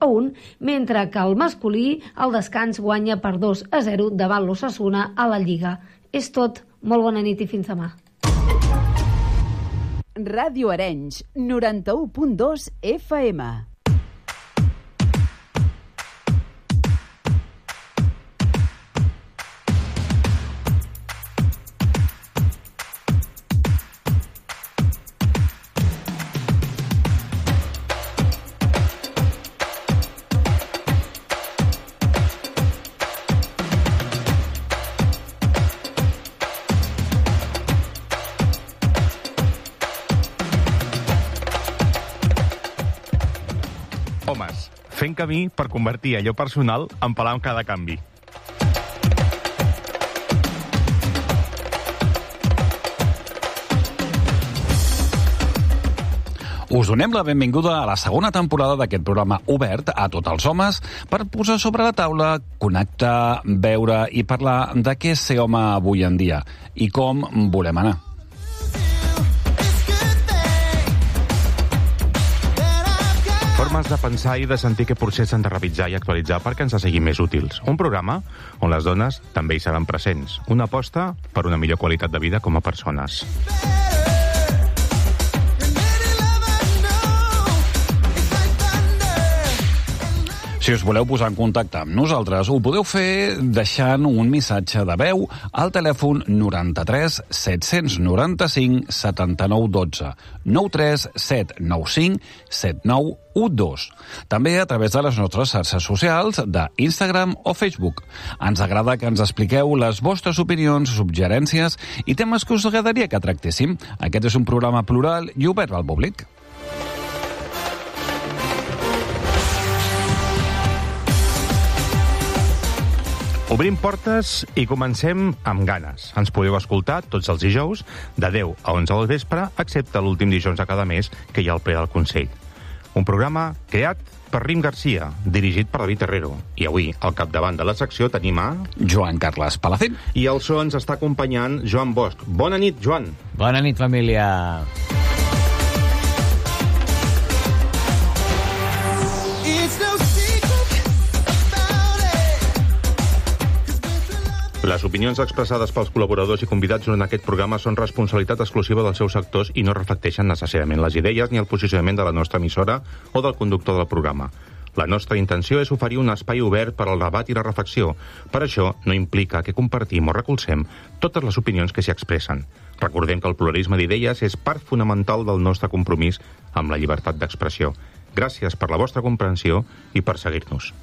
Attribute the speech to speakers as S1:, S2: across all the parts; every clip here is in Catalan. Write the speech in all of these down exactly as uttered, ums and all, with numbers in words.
S1: a un, mentre que el masculí al descans guanya per dos a zero davant l'Osasuna a la Lliga. És tot. Molt bona nit i fins demà.
S2: Ràdio Arenys, noranta-u punt dos F M.
S3: Fent camí per convertir allò personal en palanca de canvi.
S4: Us donem la benvinguda a la segona temporada d'aquest programa obert a tots els homes per posar sobre la taula, connectar, veure i parlar de què és ser home avui en dia i com volem anar.
S3: Formes de pensar i de sentir que potser s'han de revisar i actualitzar perquè ens siguin més útils. Un programa on les dones també hi seran presents. Una aposta per una millor qualitat de vida com a persones.
S4: Si us voleu posar en contacte amb nosaltres, ho podeu fer deixant un missatge de veu al telèfon noranta-tres set noranta-cinc setanta-nou dotze, nou tres set nou cinc set nou u dos. També a través de les nostres xarxes socials d'Instagram o Facebook. Ens agrada que ens expliqueu les vostres opinions, suggerències i temes que us agradaria que tractéssim. Aquest és un programa plural i obert al públic.
S3: Obrim portes i comencem amb ganes. Ens podeu escoltar tots els dijous de deu a onze del vespre, excepte l'últim dijous de cada mes que hi ha el ple del Consell. Un programa creat per Rim Garcia, dirigit per David Herrero. I avui, al capdavant de la secció, tenim a...
S4: Joan Carles Palacín.
S3: I al so ens està acompanyant Joan Bosch. Bona nit, Joan.
S5: Bona nit, família.
S3: Les opinions expressades pels col·laboradors i convidats en aquest programa són responsabilitat exclusiva dels seus sectors i no reflecteixen necessàriament les idees ni el posicionament de la nostra emissora o del conductor del programa. La nostra intenció és oferir un espai obert per al debat i la reflexió. Per això no implica que compartim o recolzem totes les opinions que s'hi expressen. Recordem que el pluralisme d'idees és part fonamental del nostre compromís amb la llibertat d'expressió. Gràcies per la vostra comprensió i per seguir-nos.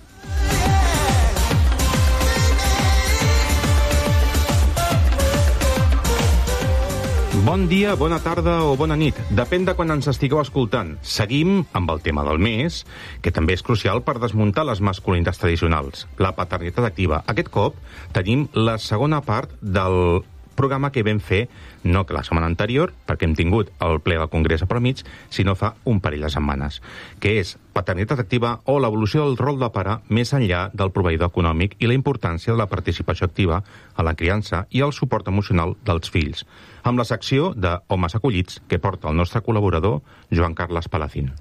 S3: Bon dia, bona tarda o bona nit. Depèn de quan ens estigueu escoltant. Seguim amb el tema del mes, que també és crucial per desmuntar les masculinitats tradicionals. La paternitat activa. Aquest cop tenim la segona part del programa que vam fer, no que la setmana anterior, perquè hem tingut el ple del Congrés a mig, sinó fa un parell de setmanes, que és paternitat activa o l'evolució del rol de pare més enllà del proveïdor econòmic i la importància de la participació activa a la criança i el suport emocional dels fills, amb la secció de Homes Acollits que porta el nostre col·laborador Joan Carles Palacín.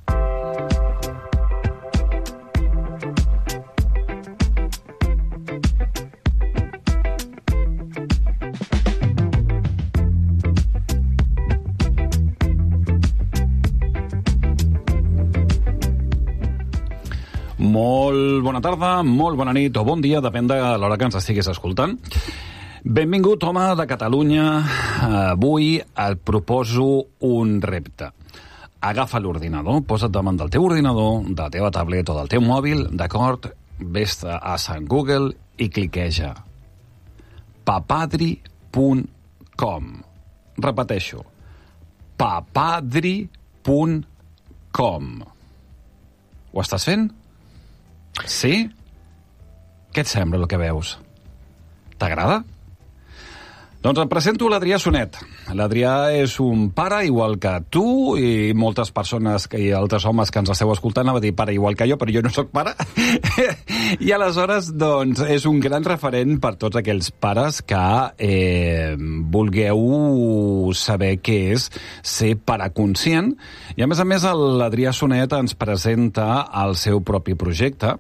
S4: Molt bona tarda, molt bona nit o bon dia, depèn de l'hora que ens estiguis escoltant. Benvingut, home de Catalunya. Avui et proposo un repte. Agafa l'ordinador, posa't davant del teu ordinador, de la teva tablet o del teu mòbil, d'acord? Ves a Sant Google i cliqueja. papadri punt com. Repeteixo. papadri punt com. Ho estàs fent? Sí? Què et sembla el que veus? T'agrada? Doncs et presento l'Adrià Sonet. L'Adrià és un pare igual que tu i moltes persones i altres homes que ens esteu escoltant, anava a dir pare igual que jo, però jo no sóc pare. I aleshores, doncs, és un gran referent per tots aquells pares que eh, vulgueu saber què és ser pare conscient. I a més a més, l'Adrià Sonet ens presenta el seu propi projecte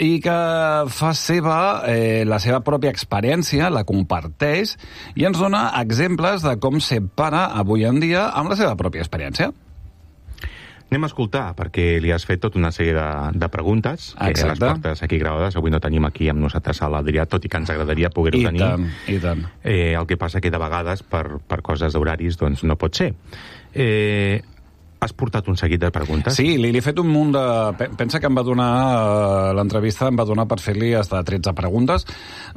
S4: i que fa seva eh, la seva pròpia experiència, la comparteix i ens dona exemples de com ser pare avui en dia amb la seva pròpia experiència.
S3: Anem a escoltar, perquè li has fet tota una sèrie de, de preguntes, que
S4: Exacte.
S3: les portes aquí gravades. Avui no tenim aquí amb nosaltres a l'Adrià, tot i que ens agradaria poder-ho
S4: I
S3: tenir.
S4: tant, i tant.
S3: Eh, el que passa que de vegades, per, per coses d'horaris, doncs no pot ser. Eh, has portat un seguit de preguntes?
S4: Sí, li, li he fet un munt de... Pensa que em va donar... Eh, l'entrevista em va donar per fer-li hasta tretze preguntes.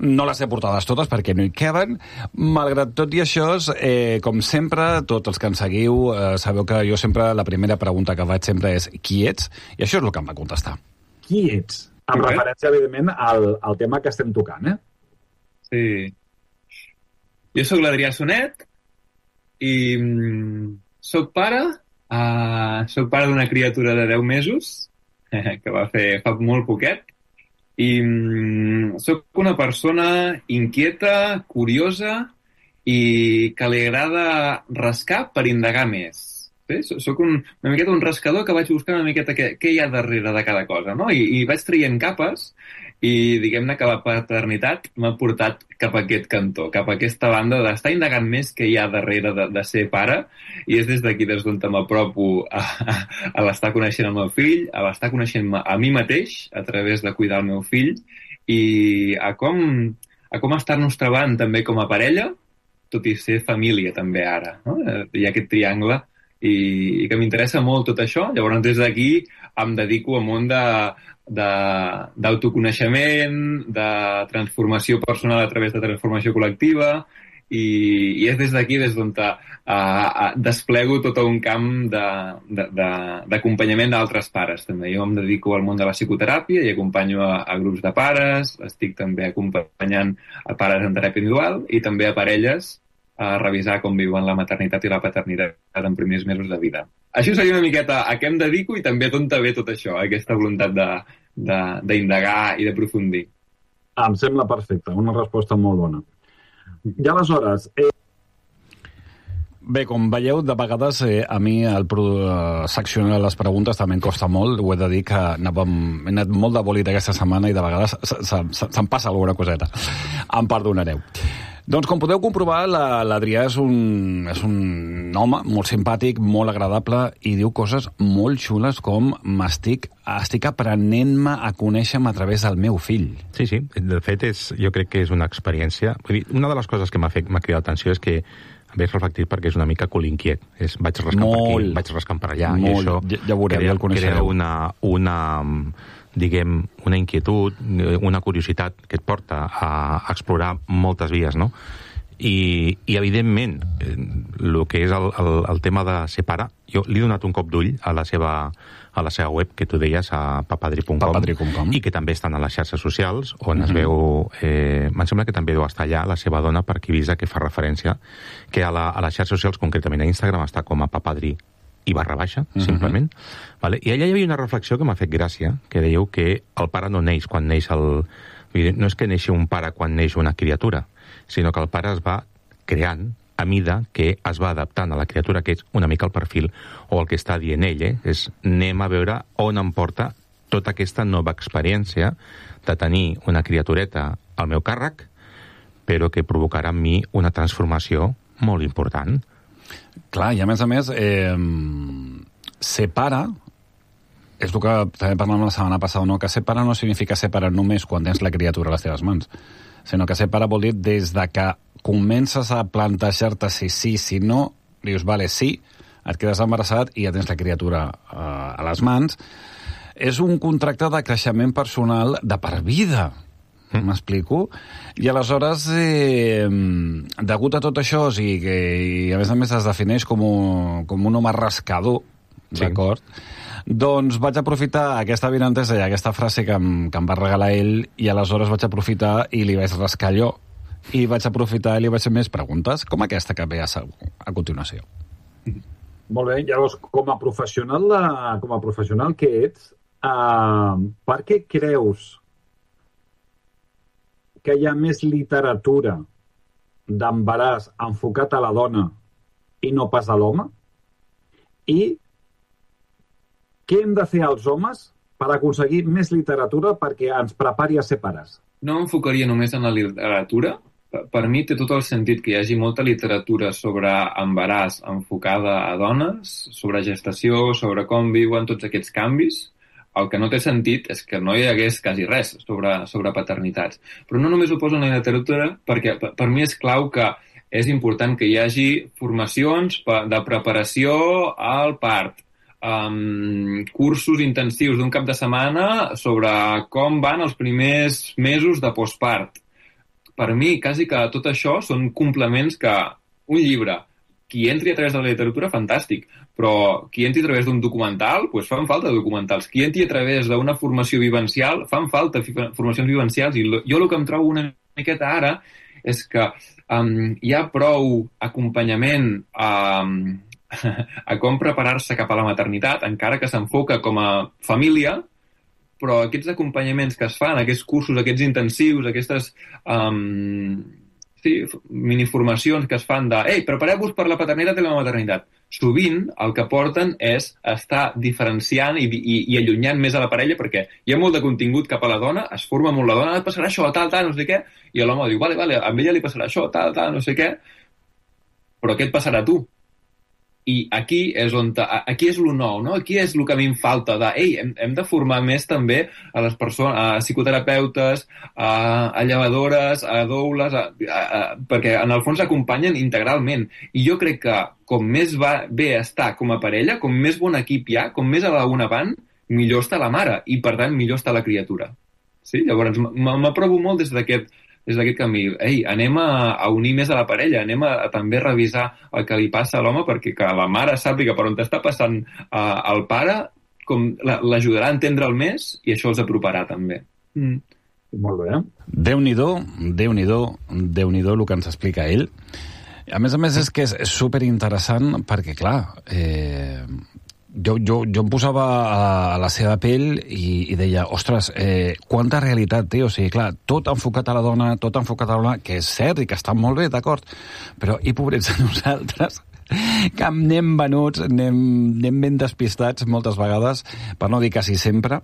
S4: No les he portades totes perquè no hi queben. Malgrat tot i això, eh, com sempre, tots els que ens seguiu, eh, sabeu que jo sempre, la primera pregunta que faig sempre és qui ets? I això és el que em va contestar.
S5: Qui ets? Amb
S6: Okay.
S5: referència, evidentment, al, al tema que estem tocant, eh?
S6: Sí. Jo sóc l'Adrià Sonet i mm, sóc pare, uh, sóc pare d'una criatura de deu mesos, que va fer fa molt poquet, i mm, sóc una persona inquieta, curiosa i que li agrada rascar per indagar més. Sí? Soc un, una miqueta un rascador que vaig buscar una miqueta què, què hi ha darrere de cada cosa, no? I, i vaig traient capes i diguem-ne que la paternitat m'ha portat cap a aquest cantó, cap a aquesta banda d'estar indagant més què hi ha darrere de, de ser pare, i és des d'aquí des d'on m'apropo a, a, a l'estar coneixent el meu fill, a l'estar coneixent a mi mateix a través de cuidar el meu fill i a com, a com estar-nos trobant també com a parella, tot i ser família també ara, no? Hi ha aquest triangle i, i que m'interessa molt tot això. Llavors des d'aquí em dedico a un món de d'autoconeixement, de transformació personal a través de transformació col·lectiva i, i és des d'aquí des d'on uh, uh, desplego tot un camp d'acompanyament d'altres pares també. Jo em dedico al món de la psicoteràpia i acompanyo a, a grups de pares, estic també acompanyant a pares en teràpia individual i també a parelles a revisar com viuen la maternitat i la paternitat en primers mesos de vida. Això seria una miqueta a què em dedico i també d'on ve tot això, aquesta voluntat d'indagar i d'aprofundir.
S5: Em sembla perfecte, una resposta molt bona. I aleshores... Eh...
S4: Bé, com veieu, de vegades eh, a mi el uh, seccionar les preguntes també em costa molt. Ho he de dir que anàvem, he anat molt de bòlit aquesta setmana i de vegades se'm passa alguna coseta. Em perdonareu. Doncs com podeu comprovar, l'Adrià és, un, és un home molt simpàtic, molt agradable i diu coses molt xules com m'estic estic aprenent-me a conèixer-me a través del meu fill.
S3: Sí, sí. De fet, és, jo crec que és una experiència... Vull dir, una de les coses que m'ha cridat l'atenció és que veig reflectit perquè és una mica colinquiet. És, vaig rascant
S4: molt,
S3: per aquí, vaig rascant per allà,
S4: molt.
S3: i això
S4: ja, ja veureu,
S3: crea,
S4: ja el coneixereu.
S3: crea una, una, diguem, una inquietud, una curiositat que et porta a explorar moltes vies, no? I, i evidentment, el que és el, el, el tema de ser pare, jo li he donat un cop d'ull a la seva a la seva web, que tu deies, a papadri punt com,
S4: papadri punt com,
S3: i que també estan a les xarxes socials, on
S4: mm-hmm.
S3: es veu... Eh, em sembla que també deu estar allà la seva dona, per qui visa que fa referència, que a, la, a les xarxes socials, concretament a Instagram, està com a papadri i barra baixa, mm-hmm. simplement. Vale? I allà hi havia una reflexió que m'ha fet gràcia, que dèieu que el pare no neix quan neix el... No és que neixi un pare quan neix una criatura, sinó que el pare es va creant a mida que es va adaptant a la criatura, que és una mica el perfil, o el que està dient ell, eh? és anem a veure on em porta tota aquesta nova experiència de tenir una criatureta al meu càrrec, però que provocarà en mi una transformació molt important.
S4: Clar, i a més a més, eh, ser pare, és el que també parlàvem la setmana passada, no? Que ser pare no significa ser pare només quan tens la criatura a les teves mans, sinó que ser pare vol dir des de que comences a plantejar-te si sí, si no, dius, vale, sí, et quedes embarassat i ja tens la criatura uh, a les mans. És un contracte de creixement personal de per vida, mm. m'explico? I aleshores, eh, degut a tot això, o sigui, que, i a més a més es defineix com un, com un home rascador, sí. D'acord? Doncs vaig aprofitar aquesta avinentesa i aquesta frase que em, que em va regalar ell, i aleshores vaig aprofitar i li vaig rascar allò. i vaig aprofitar i li vaig fer més preguntes, com aquesta que ve a, a continuació.
S5: Molt bé, llavors, com a professional, de, com a professional que ets, uh, per què creus que hi ha més literatura d'embaràs enfocat a la dona i no pas a l'home? I què hem de fer els homes per aconseguir més literatura perquè ens prepari a ser pares?
S6: No m'enfocaria només en la literatura. Per mi té tot el sentit que hi hagi molta literatura sobre embaràs enfocada a dones, sobre gestació, sobre com viuen tots aquests canvis. El que no té sentit és que no hi hagués quasi res sobre, sobre paternitats. Però no només ho poso en la literatura, perquè per, per mi és clau que és important que hi hagi formacions de preparació al part, um, cursos intensius d'un cap de setmana sobre com van els primers mesos de postpart. Per mi, quasi que tot això són complements que un llibre, qui entri a través de la literatura, fantàstic, però qui entri a través d'un documental, doncs fan falta documentals. Qui entri a través d'una formació vivencial, fan falta formacions vivencials. I jo el que em trobo una miqueta ara és que um, hi ha prou acompanyament um, a com preparar-se cap a la maternitat, encara que s'enfoca com a família, però aquests acompanyaments que es fan, aquests cursos, aquests intensius, aquestes um, sí, miniformacions que es fan de «Ei, prepareu-vos per la paternitat i la maternitat», sovint el que porten és estar diferenciant i, i, i allunyant més a la parella, perquè hi ha molt de contingut cap a la dona, es forma molt la dona, et passarà això, tal, tal, no sé què, i l'home diu «Vale, vale, a ella li passarà això, tal, tal, no sé què», però què et passarà a tu? I aquí és on aquí és lo nou, no? Aquí és el que a mi em falta de, ei, hem, hem de formar més també a les persones, a psicoterapeutes, a, a llevadores, a doules, a, a, a, perquè en el fons acompanyen integralment. I jo crec que com més va bé estar com a parella, com més bon equip hi ha, com més a la una van, millor està la mare i, per tant, millor està la criatura. Sí? Llavors, m'aprovo molt des d'aquest des d'aquest camí. Ei, anem a, a unir més a la parella, anem a, a també revisar el que li passa a l'home perquè que la mare sàpiga per on està passant uh, el pare, com l'ajudarà a entendre'l més i això els aproparà també. Mm.
S5: Molt bé.
S4: Déu-n'hi-do, Déu-n'hi-do, Déu-n'hi-do el que ens explica ell. A més a més és que és superinteressant perquè, clar, eh, jo, jo, jo em posava a, a la seva pell i, i deia, ostres, eh, quanta realitat té, o sigui, clar, tot enfocat a la dona, tot enfocat a la dona, que és cert i que està molt bé, d'acord, però i pobrets a nosaltres, que anem venuts, anem, anem ben despistats moltes vegades, per no dir quasi sempre,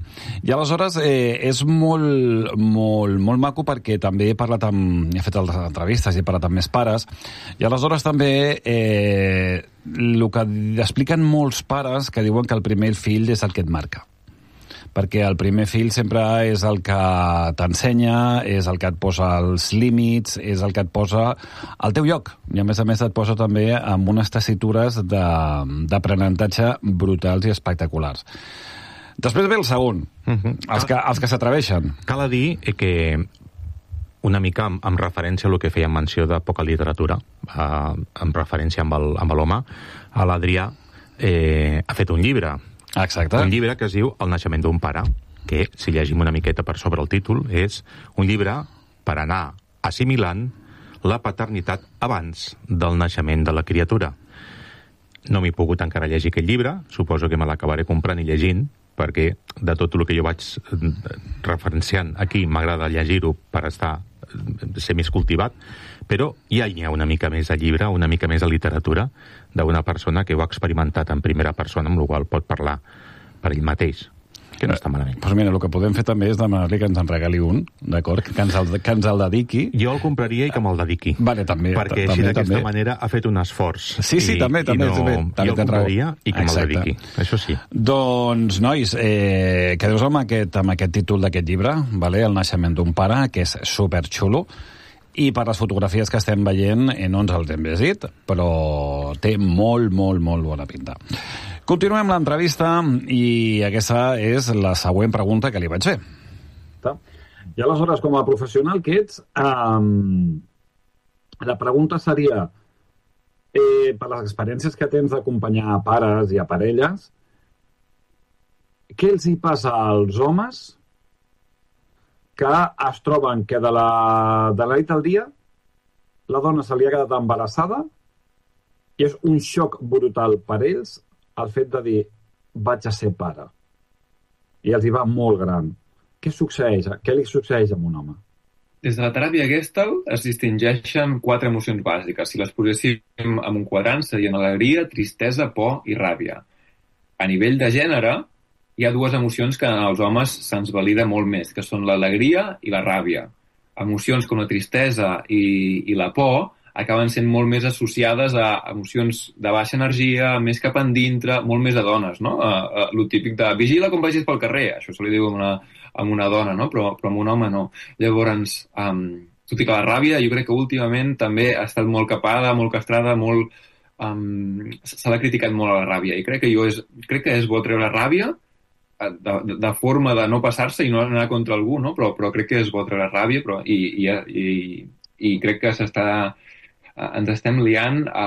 S4: i aleshores eh, és molt, molt, molt maco perquè també he parlat amb, he fet altres entrevistes i he parlat amb més pares, i aleshores també eh, el que expliquen molts pares que diuen que el primer fill és el que et marca, perquè el primer fill sempre és el que t'ensenya, és el que et posa els límits, és el que et posa al teu lloc, i a més a més et posa també amb unes tessitures d'aprenentatge brutals i espectaculars. Després ve el segon, uh-huh. els que, els que s'atreveixen.
S3: Cal dir que una mica amb, amb referència a el que feia menció de poca literatura, eh, amb referència amb el, amb l'home, l'Adrià eh, ha fet un llibre,
S4: Exacte.
S3: Un llibre que es diu El naixement d'un pare, que, si llegim una miqueta per sobre el títol, és un llibre per anar assimilant la paternitat abans del naixement de la criatura. No m'he pogut encara llegir aquest llibre, suposo que me l'acabaré comprant i llegint, perquè de tot el que jo vaig referenciant aquí m'agrada llegir-ho per estar ser més cultivat, però ja hi ha una mica més de llibre, una mica més de literatura d'una persona que ho ha experimentat en primera persona, amb la qual pot parlar per ell mateix, que no està malament.
S4: Doncs mira, el que podem fer també és demanar-li que ens en regali un, d'acord? Que ens el, que ens el dediqui.
S3: Jo el compraria i que me'l dediqui.
S4: Vale, també.
S3: Perquè
S4: també,
S3: així d'aquesta
S4: també.
S3: manera ha fet un esforç.
S4: Sí, sí,
S3: i,
S4: també, també.
S3: I no,
S4: també, també
S3: jo el compraria i que me'l dediqui. Això sí.
S4: Doncs, nois, eh, quedeu-vos amb aquest, amb aquest títol d'aquest llibre, vale? El naixement d'un pare, que és superxulo, i per les fotografies que estem veient eh, no ens els hem llegit, però té molt, molt, molt bona pinta. Continuem l'entrevista i aquesta és la següent pregunta que li vaig fer.
S5: I aleshores, com a professional que ets, um, la pregunta seria, eh, per les experiències que tens d'acompanyar a pares i a parelles, què els hi passa als homes que es troben que de la, de la nit al dia la dona se li ha quedat embarassada i és un xoc brutal per ells el fet de dir vaig a ser pare. I els hi va molt gran. Què succeeix? Què li succeeix a un home?
S6: Des de la teràpia Gestalt es distingeixen quatre emocions bàsiques. Si les poséssim en un quadrant serien alegria, tristesa, por i ràbia. A nivell de gènere, hi ha dues emocions que als homes se'ns valida molt més, que són l'alegria i la ràbia. Emocions com la tristesa i, i la por acaben sent molt més associades a emocions de baixa energia, més cap endintre, molt més a dones, no? A, a, lo típic de vigila com vagis pel carrer, això se li diu a una, a una dona, no? Però, però a un home no. Llavors, um, tot i que la ràbia, jo crec que últimament també ha estat molt capada, molt castrada, molt... Um, se l'ha criticat molt a la ràbia, i crec que, jo és, crec que és bo treure ràbia de, de, de forma de no passar-se i no anar contra algú, no? Però, però crec que és bo treure ràbia, però, i, i, i, i crec que s'està... ens estem liant a,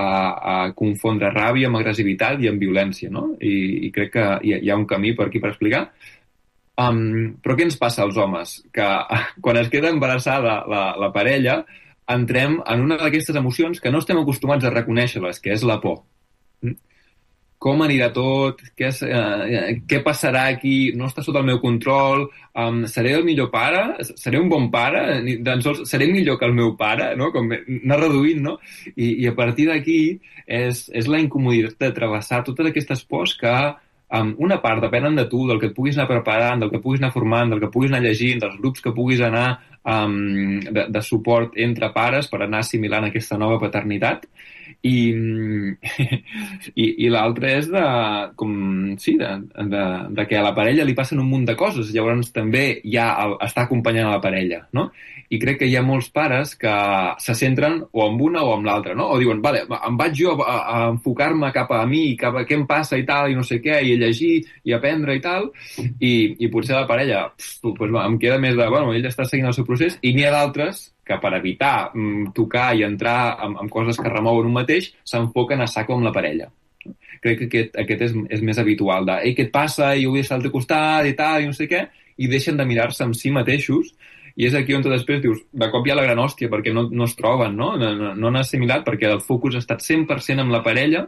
S6: a confondre ràbia amb agressivitat i amb violència, no? I, i crec que hi ha, hi ha un camí per aquí per explicar. Um, però què ens passa als homes? Que quan es queda embarassada la, la parella, entrem en una d'aquestes emocions que no estem acostumats a reconèixer-les, que és la por. Com anirà tot? Què, és, eh, què passarà aquí? No està sota el meu control? Um, seré el millor pare? Seré un bon pare? Ni tan sols seré millor que el meu pare? No? Com anar reduint, no? I, i a partir d'aquí és, és la incomoditat de travessar totes aquestes pors que um, una part depenen de tu, del que et puguis anar preparant, del que puguis anar formant, del que puguis anar llegint, dels grups que puguis anar um, de, de suport entre pares per anar assimilant aquesta nova paternitat. I, i, i l'altre és de, com, sí, de, de, de que a la parella li passen un munt de coses, llavors també ja el, està acompanyant a la parella, no? I crec que hi ha molts pares que se centren o amb una o amb l'altra, no? O diuen, vale, em vaig jo a, a enfocar-me cap a mi, cap a què em passa i tal, i no sé què, i a llegir i aprendre i tal, i, i potser la parella pf, pues, em queda més de, bueno, ell està seguint el seu procés, i n'hi ha d'altres que per evitar mm, tocar i entrar en, en coses que remouen un mateix, s'enfoquen a saco amb la parella. Crec que aquest, aquest és, és més habitual de, ei, què et passa? I jo vull estar al teu costat i tal, i no sé què, i deixen de mirar-se amb si mateixos, i és aquí on tu després dius, de cop hi ha la gran hòstia, perquè no, no es troben, no? No, no, no han assimilat, perquè el focus ha estat cent per cent amb la parella,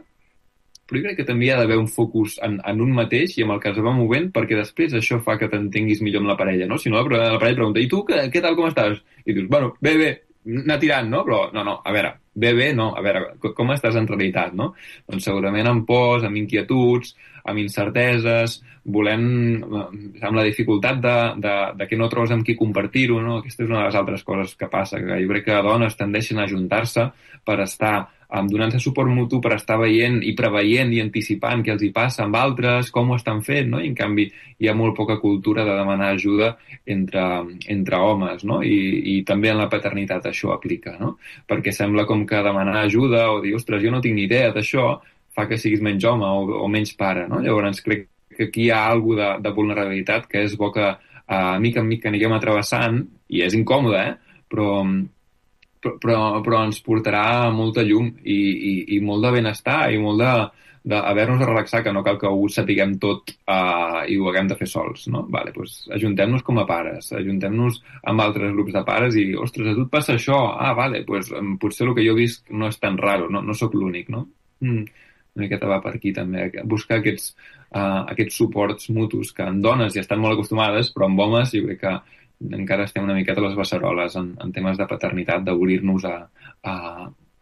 S6: però jo crec que també hi ha d'haver un focus en, en un mateix i amb el que es va movent, perquè després això fa que t'entenguis millor amb la parella, no? Si no, la, la parella pregunta, i tu, què, què tal, com estàs? I dius, bueno, bé, bé, anar tirant, no? Però, no, no, a veure, bé, bé, no, a veure, com estàs en realitat, no? Doncs segurament amb pors, amb inquietuds, amb incerteses, volem, amb la dificultat de, de, de que no trobes amb qui compartir-ho, no? Aquesta és una de les altres coses que passa, que jo crec que dones tendeixen a ajuntar-se per estar um, donant-se suport mutu, per estar veient i preveient i anticipant què els hi passa amb altres, com ho estan fent, no? I en canvi hi ha molt poca cultura de demanar ajuda entre, entre homes, no? I, i també en la paternitat això aplica, no? Perquè sembla com que demanar ajuda o dir, ostres, jo no tinc ni idea d'això, fa que siguis menys home o, o menys pare, no? Llavors crec que aquí hi ha alguna de, de vulnerabilitat que és bo que uh, mica en mica anirem atrevessant, i és incòmode, eh? Però, però, però, però ens portarà molta llum i, i, i molt de benestar i molt de, d'haver-nos de relaxar, que no cal que ho sapiguem tot uh, i ho haguem de fer sols, no? Vale, doncs ajuntem-nos com a pares, ajuntem-nos amb altres grups de pares i, ostres, a tu et passa això? Ah, vale, doncs potser el que jo visc no és tan raro, no, no sóc l'únic, no? Mm. Una miqueta va per aquí també, buscar aquests, uh, aquests suports mutus que en dones ja estan molt acostumades, però en homes jo crec que encara estem una miqueta a les beceroles en, en temes de paternitat, d'obrir-nos a, a,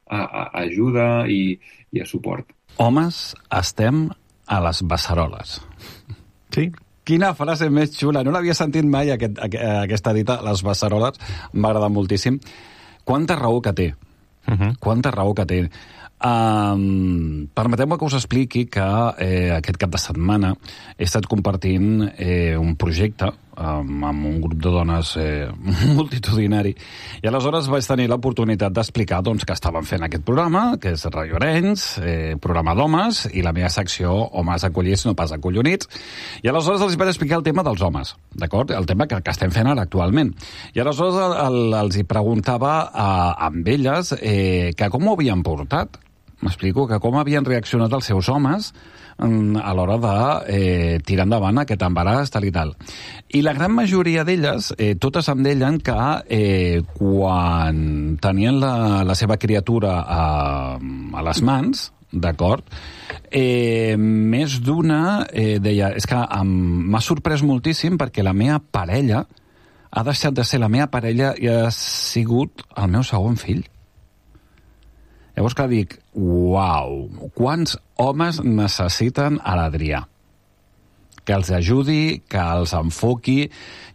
S6: a, a ajuda i, i a suport.
S4: Homes, estem a les beceroles.
S3: Sí.
S4: Quina frase més xula. No l'havia sentit mai, aquest, aquesta dita, les beceroles. M'agrada moltíssim. Quanta raó que té. Uh-huh. Quanta raó que té. Um, permeteu-me que us expliqui que eh, aquest cap de setmana he estat compartint eh, un projecte um, amb un grup de dones eh, multitudinari, i aleshores vaig tenir l'oportunitat d'explicar doncs, que estaven fent aquest programa, que és Radio Arenys, eh, programa d'homes, i la meva secció Homes acollits, no pas acollonits, i aleshores els vaig explicar el tema dels homes, d'acord? El tema que, que estem fent ara actualment. I aleshores el, el, els hi preguntava a, amb elles eh, que com ho havien portat. M'explico que com havien reaccionat els seus homes a l'hora de eh, tirar endavant aquest embaràs, tal i tal. I la gran majoria d'elles, eh, totes em deien que eh, quan tenien la, la seva criatura a, a les mans, d'acord, eh, més d'una eh, deia, és que m'ha sorprès moltíssim perquè la meva parella ha deixat de ser la meva parella i ha sigut el meu segon fill. Llavors que dic, uau, quants homes necessiten a l'Adrià? Que els ajudi, que els enfoqui,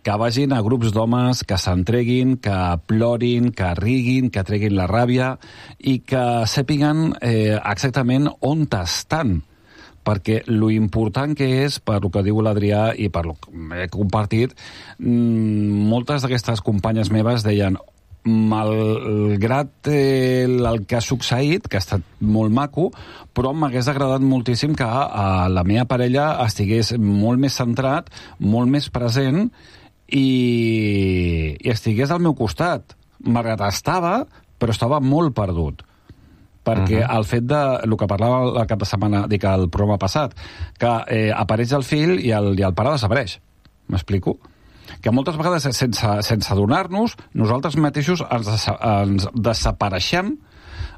S4: que vagin a grups d'homes, que s'entreguin, que plorin, que riguin, que treguin la ràbia i que sàpiguen eh, exactament on estan. Perquè lo important que és, per lo que diu l'Adrià i per lo que he compartit, moltes d'aquestes companyes meves deien, malgrat eh, el que ha succeït, que ha estat molt maco, però m'hagués agradat moltíssim que eh, la meva parella estigués molt més centrat, molt més present i, i estigués al meu costat. Malgrat estava, però estava molt perdut. Perquè uh-huh. el fet de, el que parlava la cap de setmana, dic, el programa passat, que eh, apareix el fill i el, i el pare desapareix. M'explico? Que moltes vegades, sense, sense adonar-nos, nosaltres mateixos ens, ens desapareixem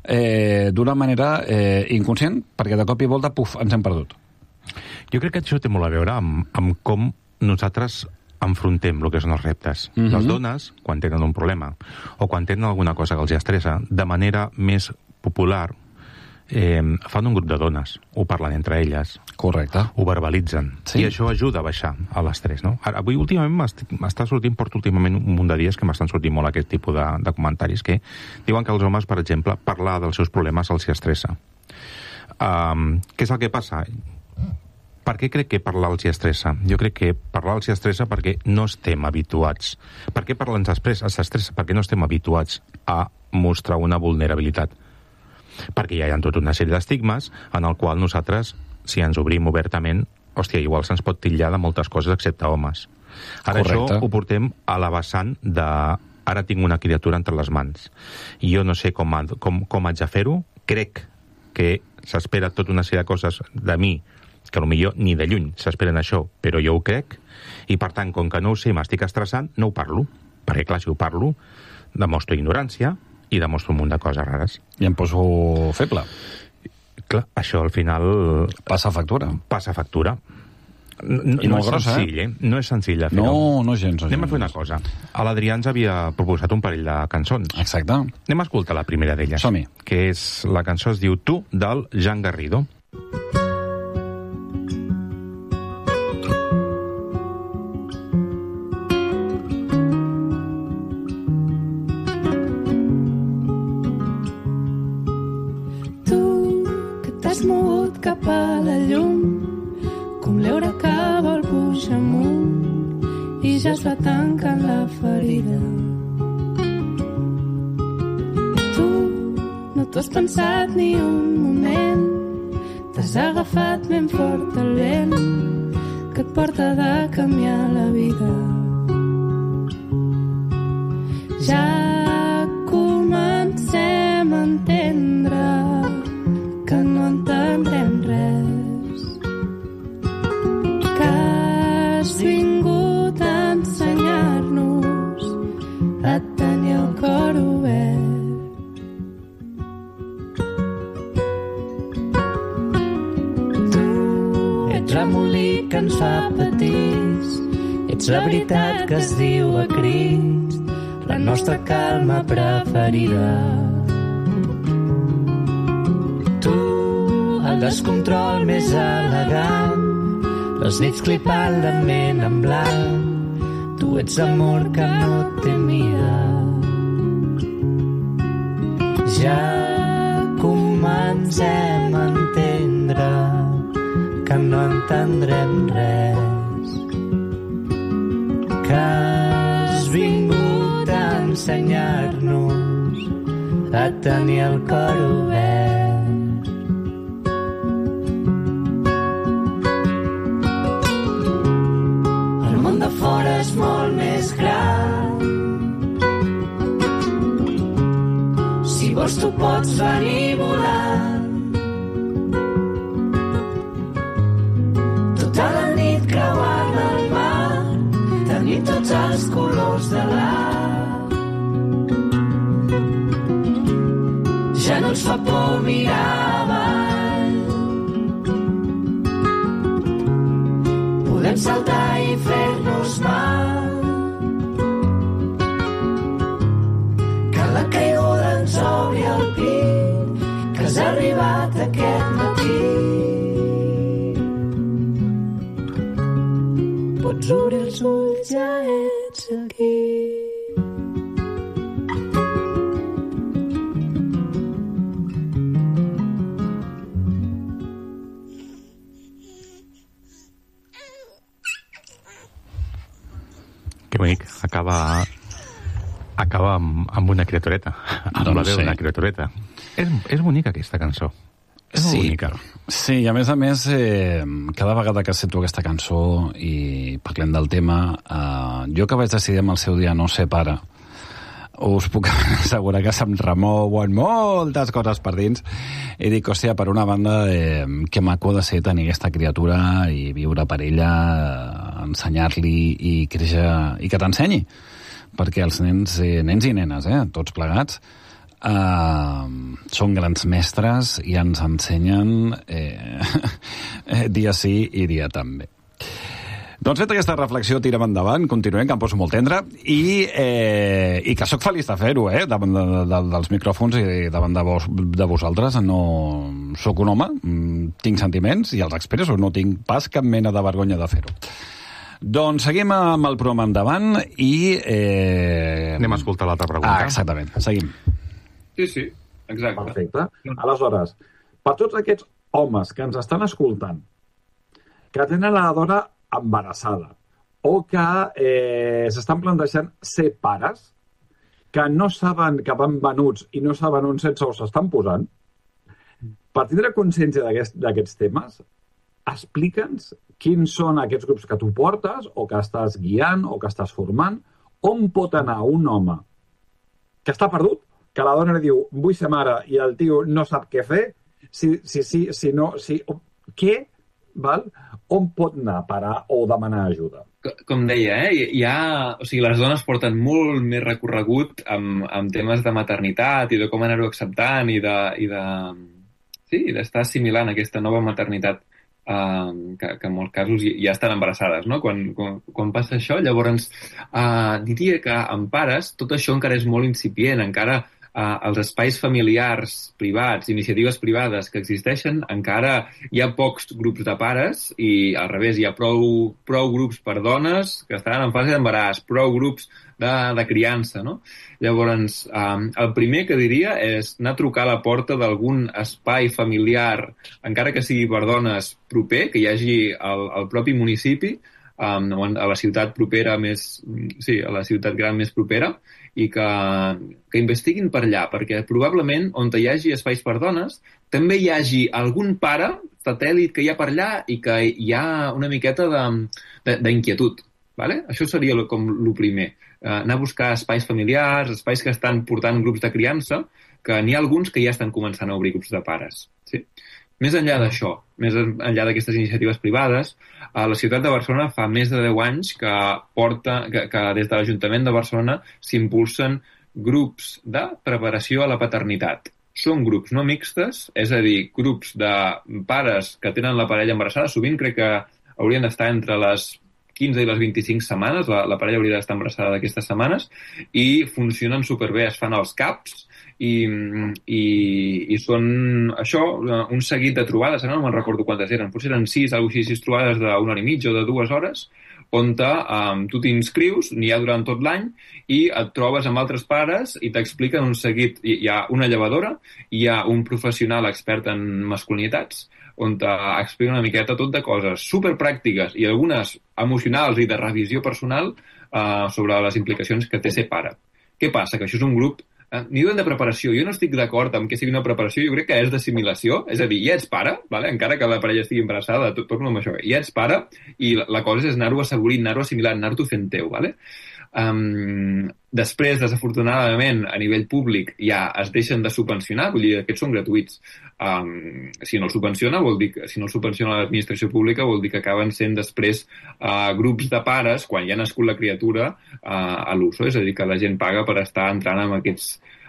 S4: eh, d'una manera eh, inconscient, perquè de cop i volta, puf, ens hem perdut.
S3: Jo crec que això té molt a veure amb, amb com nosaltres enfrontem el que són els reptes. Mm-hmm. Les dones, quan tenen un problema, o quan tenen alguna cosa que els estressa, de manera més popular, eh, fan un grup de dones, ho parlen entre elles.
S4: Correcte.
S3: Ho verbalitzen. Sí. I això ajuda a baixar a l'estrès, no? Ara, avui, últimament, m'està sortint, porto últimament un munt de dies que m'estan sortint molt aquest tipus de, de comentaris que diuen que els homes, per exemple, parlar dels seus problemes els estressa. Um, què és el que passa? Per què crec que parlar els estressa? Jo crec que parlar els estressa perquè no estem habituats. Per què parlar ens estressa? Perquè no estem habituats a mostrar una vulnerabilitat. Perquè hi ha tota una sèrie d'estigmes en el qual nosaltres, si ens obrim obertament, hòstia, igual se'ns pot titllar de moltes coses excepte homes. Ara Correcte. Això ho portem a la vessant de ara tinc una criatura entre les mans. I jo no sé com, com, com haig de fer-ho. Crec que s'espera tota una sèrie de coses de mi que potser ni de lluny s'esperen això, però jo ho crec, i per tant, com que no ho sé, m'estic estressant, no ho parlo. Perquè, clar, si ho parlo, demostro ignorància, i demostro un munt de coses rares.
S4: I em poso feble.
S3: Clar, això al final...
S4: Passa factura.
S3: Passa factura. No,
S4: I
S3: no
S4: molt
S3: és
S4: grossa,
S3: senzill, eh? eh? No és senzill de fer-ho.
S4: No, no gens. No
S3: Anem
S4: gens.
S3: a fer una cosa. A l'Adrià ens havia proposat un parell de cançons.
S4: Exacte.
S3: Anem a escoltar la primera d'elles.
S4: Som-hi.
S3: Que és, la cançó es diu Tu, del Jan Garrido.
S7: Cap a la llum, com l'eure que vol pujar amunt i ja es va tancant la ferida. Tu no t'ho has pensat ni un moment, t'has agafat ben fort el vent que et porta de canviar la vida. Ja comencem a entendre que no entendrem res, que has vingut a ensenyar-nos a tenir el cor obert. Tu ets remolí que ens fa petits, ets la veritat que es diu a crits, la nostra calma preferida. El descontrol més elegant, les nits clipant la ment en blanc, tu ets amor que no té mida. Ja comencem a entendre que no entendrem res, que has vingut a ensenyar-nos a tenir el cor obert. Fora és molt més gran. Si vols tu pots venir volant.
S8: els colors de l'art. Ja no ens fa por mirar avall. Podem saltar i fer-nos mal. Que la caiguda ens obri el pit, que has arribat aquest matí. Pots obrir els ulls, ja ets aquí.
S3: Que bonic. Acaba, acaba amb, amb una criatureta. Amb
S4: Doncs
S3: la veu
S4: sí.
S3: d'una criatureta. És, és bonica aquesta cançó. És molt
S4: Sí,
S3: bonica.
S4: sí, i a més a més, eh, cada vegada que sento aquesta cançó i parlem del tema, eh, jo que vaig decidir amb el seu dia no ser pare, us puc assegurar que se'm remouen moltes coses per dins i dic, hòstia, per una banda, eh, que maco de ser tenir aquesta criatura i viure per ella, eh, ensenyar-li i créixer, i que t'ensenyi, perquè els nens, eh, nens i nenes, eh, tots plegats, Uh, són grans mestres i ens ensenyen eh, dia sí i dia també. Doncs fet aquesta reflexió, tirem endavant, continuem, que em poso molt tendre, i, eh, i que sóc feliç de fer-ho, eh, davant de, de, dels micròfons i davant de, vos, de vosaltres. No sóc un home, tinc sentiments i els expresso, no tinc pas cap mena de vergonya de fer-ho. Doncs seguim amb el programa endavant i... Eh...
S3: Anem a escoltar l'altra pregunta.
S4: Ah, exactament, seguim.
S6: Sí, sí, exacte.
S5: Perfecte. Aleshores, per tots aquests homes que ens estan escoltant, que tenen la dona embarassada o que eh, s'estan plantejant ser pares, que no saben que van venuts i no saben on sexe o s'estan posant, per tindre consciència d'aquests d'aquests temes, explica'ns quins són aquests grups que tu portes o que estàs guiant o que estàs formant, on pot anar un home que està perdut, que la dona li diu, vull ser mare, i el tio no sap què fer, si, si, si, si no, si, què, val? On pot anar a parar o demanar ajuda?
S6: Com deia, eh, hi ha, o sigui, les dones porten molt més recorregut amb, amb temes de maternitat i de com anar-ho acceptant i de, i de, sí, d'estar assimilant aquesta nova maternitat Uh, que, que en molts casos ja estan embarassades, no? Quan, quan, quan passa això, llavors uh, diria que en pares tot això encara és molt incipient, encara uh, els espais familiars privats, iniciatives privades que existeixen, encara hi ha pocs grups de pares i al revés, hi ha prou, prou grups per dones que estan en fase d'embaràs, prou grups de, de criança, no? Llavors, um, el primer que diria és anar a trucar a la porta d'algun espai familiar, encara que sigui per dones, proper, que hi hagi al, al propi municipi, um, a la ciutat propera més... Sí, a la ciutat gran més propera, i que, que investiguin per allà, perquè probablement on hi hagi espais per dones, també hi hagi algun pare satèl·lit que hi ha per allà i que hi ha una miqueta d'inquietud. Vale? Això seria lo, com el primer. Uh, anar a buscar espais familiars, espais que estan portant grups de criança, que n'hi ha alguns que ja estan començant a obrir grups de pares. Sí? Més enllà d'això, més enllà d'aquestes iniciatives privades, a la ciutat de Barcelona fa més de deu anys que, porta, que, que des de l'Ajuntament de Barcelona s'impulsen grups de preparació a la paternitat. Són grups no mixtes, és a dir, grups de pares que tenen la parella embarassada, sovint crec que haurien d'estar entre les quinze i les vint-i-cinc setmanes, la, la parella hauria d'estar embarassada d'aquestes setmanes, i funcionen superbé, es fan els caps, i, i, i són, això, un seguit de trobades, no me'n recordo quantes eren, potser eren sis, alguna cosa així, sis trobades d'una hora i mitja o de dues hores, on te, um, tu t'inscrius, n'hi ha durant tot l'any, i et trobes amb altres pares i t'expliquen un seguit, hi ha una llevadora, hi ha un professional expert en masculinitats, on t'explica una miqueta tot de coses superpràctiques i algunes emocionals i de revisió personal uh, sobre les implicacions que té ser pare. Què passa? Que això és un grup eh, n'hi diuen de preparació. Jo no estic d'acord amb que sigui una preparació, jo crec que és d'assimilació, és a dir, ja ets pare, vale? Encara que la parella estigui embarassada, tot, tot amb això, ja ets pare i la, la cosa és anar-ho assaborint, anar-ho assimilant, anar-t'ho fent teu. Vale? Um, després, desafortunadament, a nivell públic ja es deixen de subvencionar, vull dir, aquests són gratuïts. Um, si no el subvenciona, vol dir que, si no el subvenciona l'administració pública, vol dir que acaben sent després uh, grups de pares, quan ja ha nascut la criatura, uh, a l'uso, és a dir, que la gent paga per estar entrant en aquests,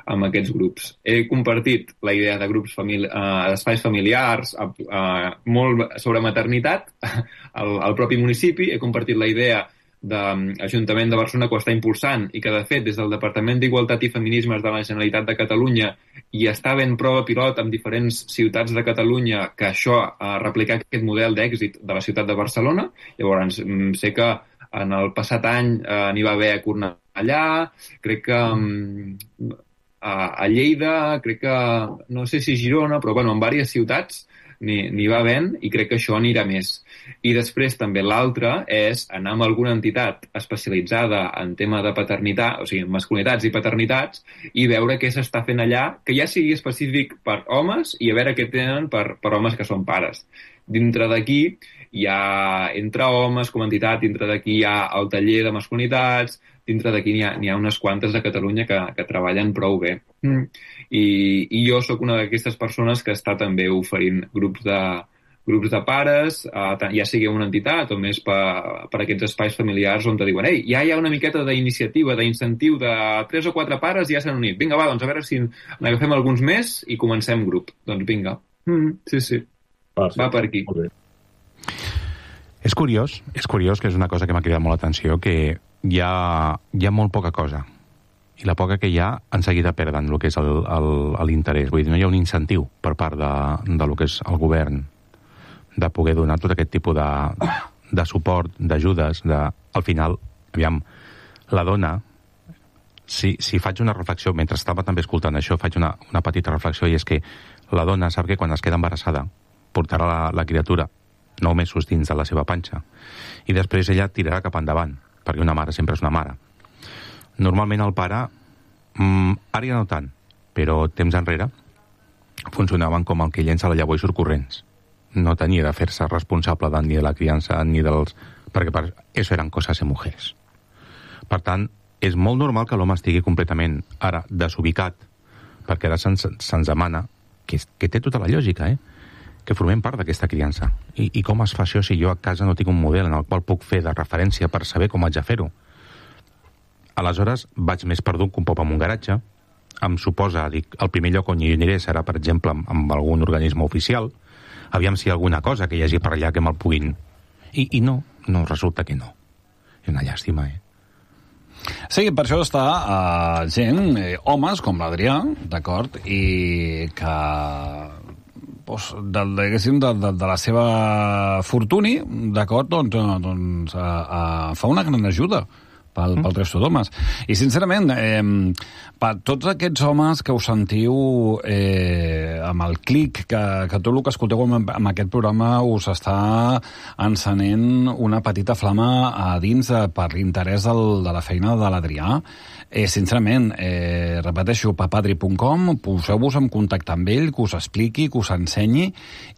S6: en aquests grups. He compartit la idea de grups famili uh, d'espais familiars, uh, uh, molt sobre maternitat al, al propi municipi. He compartit la idea de l'Ajuntament de Barcelona, que ho està impulsant i que, de fet, des del Departament d'Igualtat i Feminismes de la Generalitat de Catalunya hi està ben prova pilot en diferents ciutats de Catalunya que això, a replicar aquest model d'èxit de la ciutat de Barcelona. Llavors, sé que en el passat any eh, n'hi va haver a Cornellà, crec que um, a, a Lleida, crec que, no sé si Girona, però bueno, en diverses ciutats n'hi va havent, i crec que això anirà més. I després també l'altre és anar amb alguna entitat especialitzada en tema de paternitat, o sigui, masculinitats i paternitats, i veure què s'està fent allà, que ja sigui específic per homes, i a veure què tenen per, per homes que són pares. Dintre d'aquí hi ha, entre homes com a entitat, dintre d'aquí hi ha el taller de masculinitats, dintre d'aquí n'hi ha, ha unes quantes de Catalunya que, que treballen prou bé. Mm. I, i jo sóc una d'aquestes persones que està també oferint grups de, grups de pares, eh, ja sigui una entitat o més per, per aquests espais familiars on te diuen, ei, ja hi ha una miqueta d'iniciativa, d'incentiu de tres o quatre pares i ja s'han unit. Vinga, va, doncs a veure si n'agafem alguns més i comencem grup. Doncs vinga. Mm, sí, sí. Ah, sí. Va per aquí.
S3: És curiós, és curiós, que és una cosa que m'ha cridat molt l'atenció, que hi ha, hi ha molt poca cosa. I la poca que hi ha, en seguida perden el que és l'interès. Vull dir, no hi ha un incentiu per part de, de lo que és el govern de poder donar tot aquest tipus de, de suport, d'ajudes, de... Al final, aviam, la dona, si, si faig una reflexió, mentre estava també escoltant això, faig una, una petita reflexió, i és que la dona sap que quan es queda embarassada portarà la, la criatura nou mesos dins de la seva panxa, i després ella tirarà cap endavant, perquè una mare sempre és una mare. Normalment el pare, mmm, ara ja no tant, però temps enrere, funcionaven com el que llença la llavor i surt corrents. No tenia de fer-se responsable de, ni de la criança, ni dels... perquè per això eren coses de mujeres. Per tant, és molt normal que l'home estigui completament ara desubicat, perquè ara se'ns se demana, que, que té tota la lògica, eh? que formem part d'aquesta criança. I, I com es fa això si jo a casa no tinc un model en el qual puc fer de referència per saber com haig de fer-ho? Aleshores, vaig més perdut que un pop en un garatge. Em suposa, dic, el primer lloc on hi aniré serà, per exemple, amb, amb algun organisme oficial. Aviam si hi ha alguna cosa que hi hagi per allà que me'l puguin... I, I no, no, resulta que no. És una llàstima, eh?
S4: Sí, per això està uh, gent, eh, homes com l'Adrià, d'acord, i que... Pues, de, de, de, de, de la seva fortuni, d'acord, doncs, doncs uh, uh, fa una gran ajuda pel, pel resto d'homes. I, sincerament, eh, per tots aquests homes que us sentiu eh, amb el clic, que, que tot el que escolteu amb, amb aquest programa us està encenent una petita flama a dins eh, per l'interès del, de la feina de l'Adrià, eh, sincerament, eh, repeteixo, papadri punt com, poseu-vos en contacte amb ell, que us expliqui, que us ensenyi,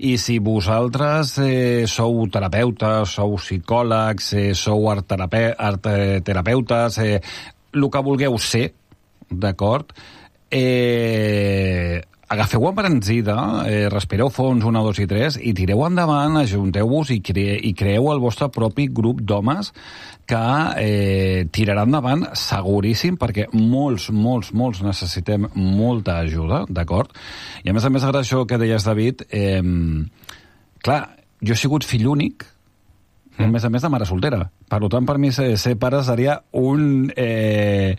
S4: i si vosaltres eh, sou terapeutes, sou psicòlegs, eh, sou art-terape art-terapeutes, eh, el que vulgueu ser, d'acord, eh, agafeu embranzida, eh, respireu fons, una, dos i tres, i tireu endavant, ajunteu-vos i, cre i creeu el vostre propi grup d'homes que eh, tirarà endavant seguríssim, perquè molts, molts, molts necessitem molta ajuda, d'acord? I a més a més, ara això que deies, David, eh, clar, jo he sigut fill únic, mm. a més a més de mare soltera. Per tant, per mi ser, ser pare seria un... Eh,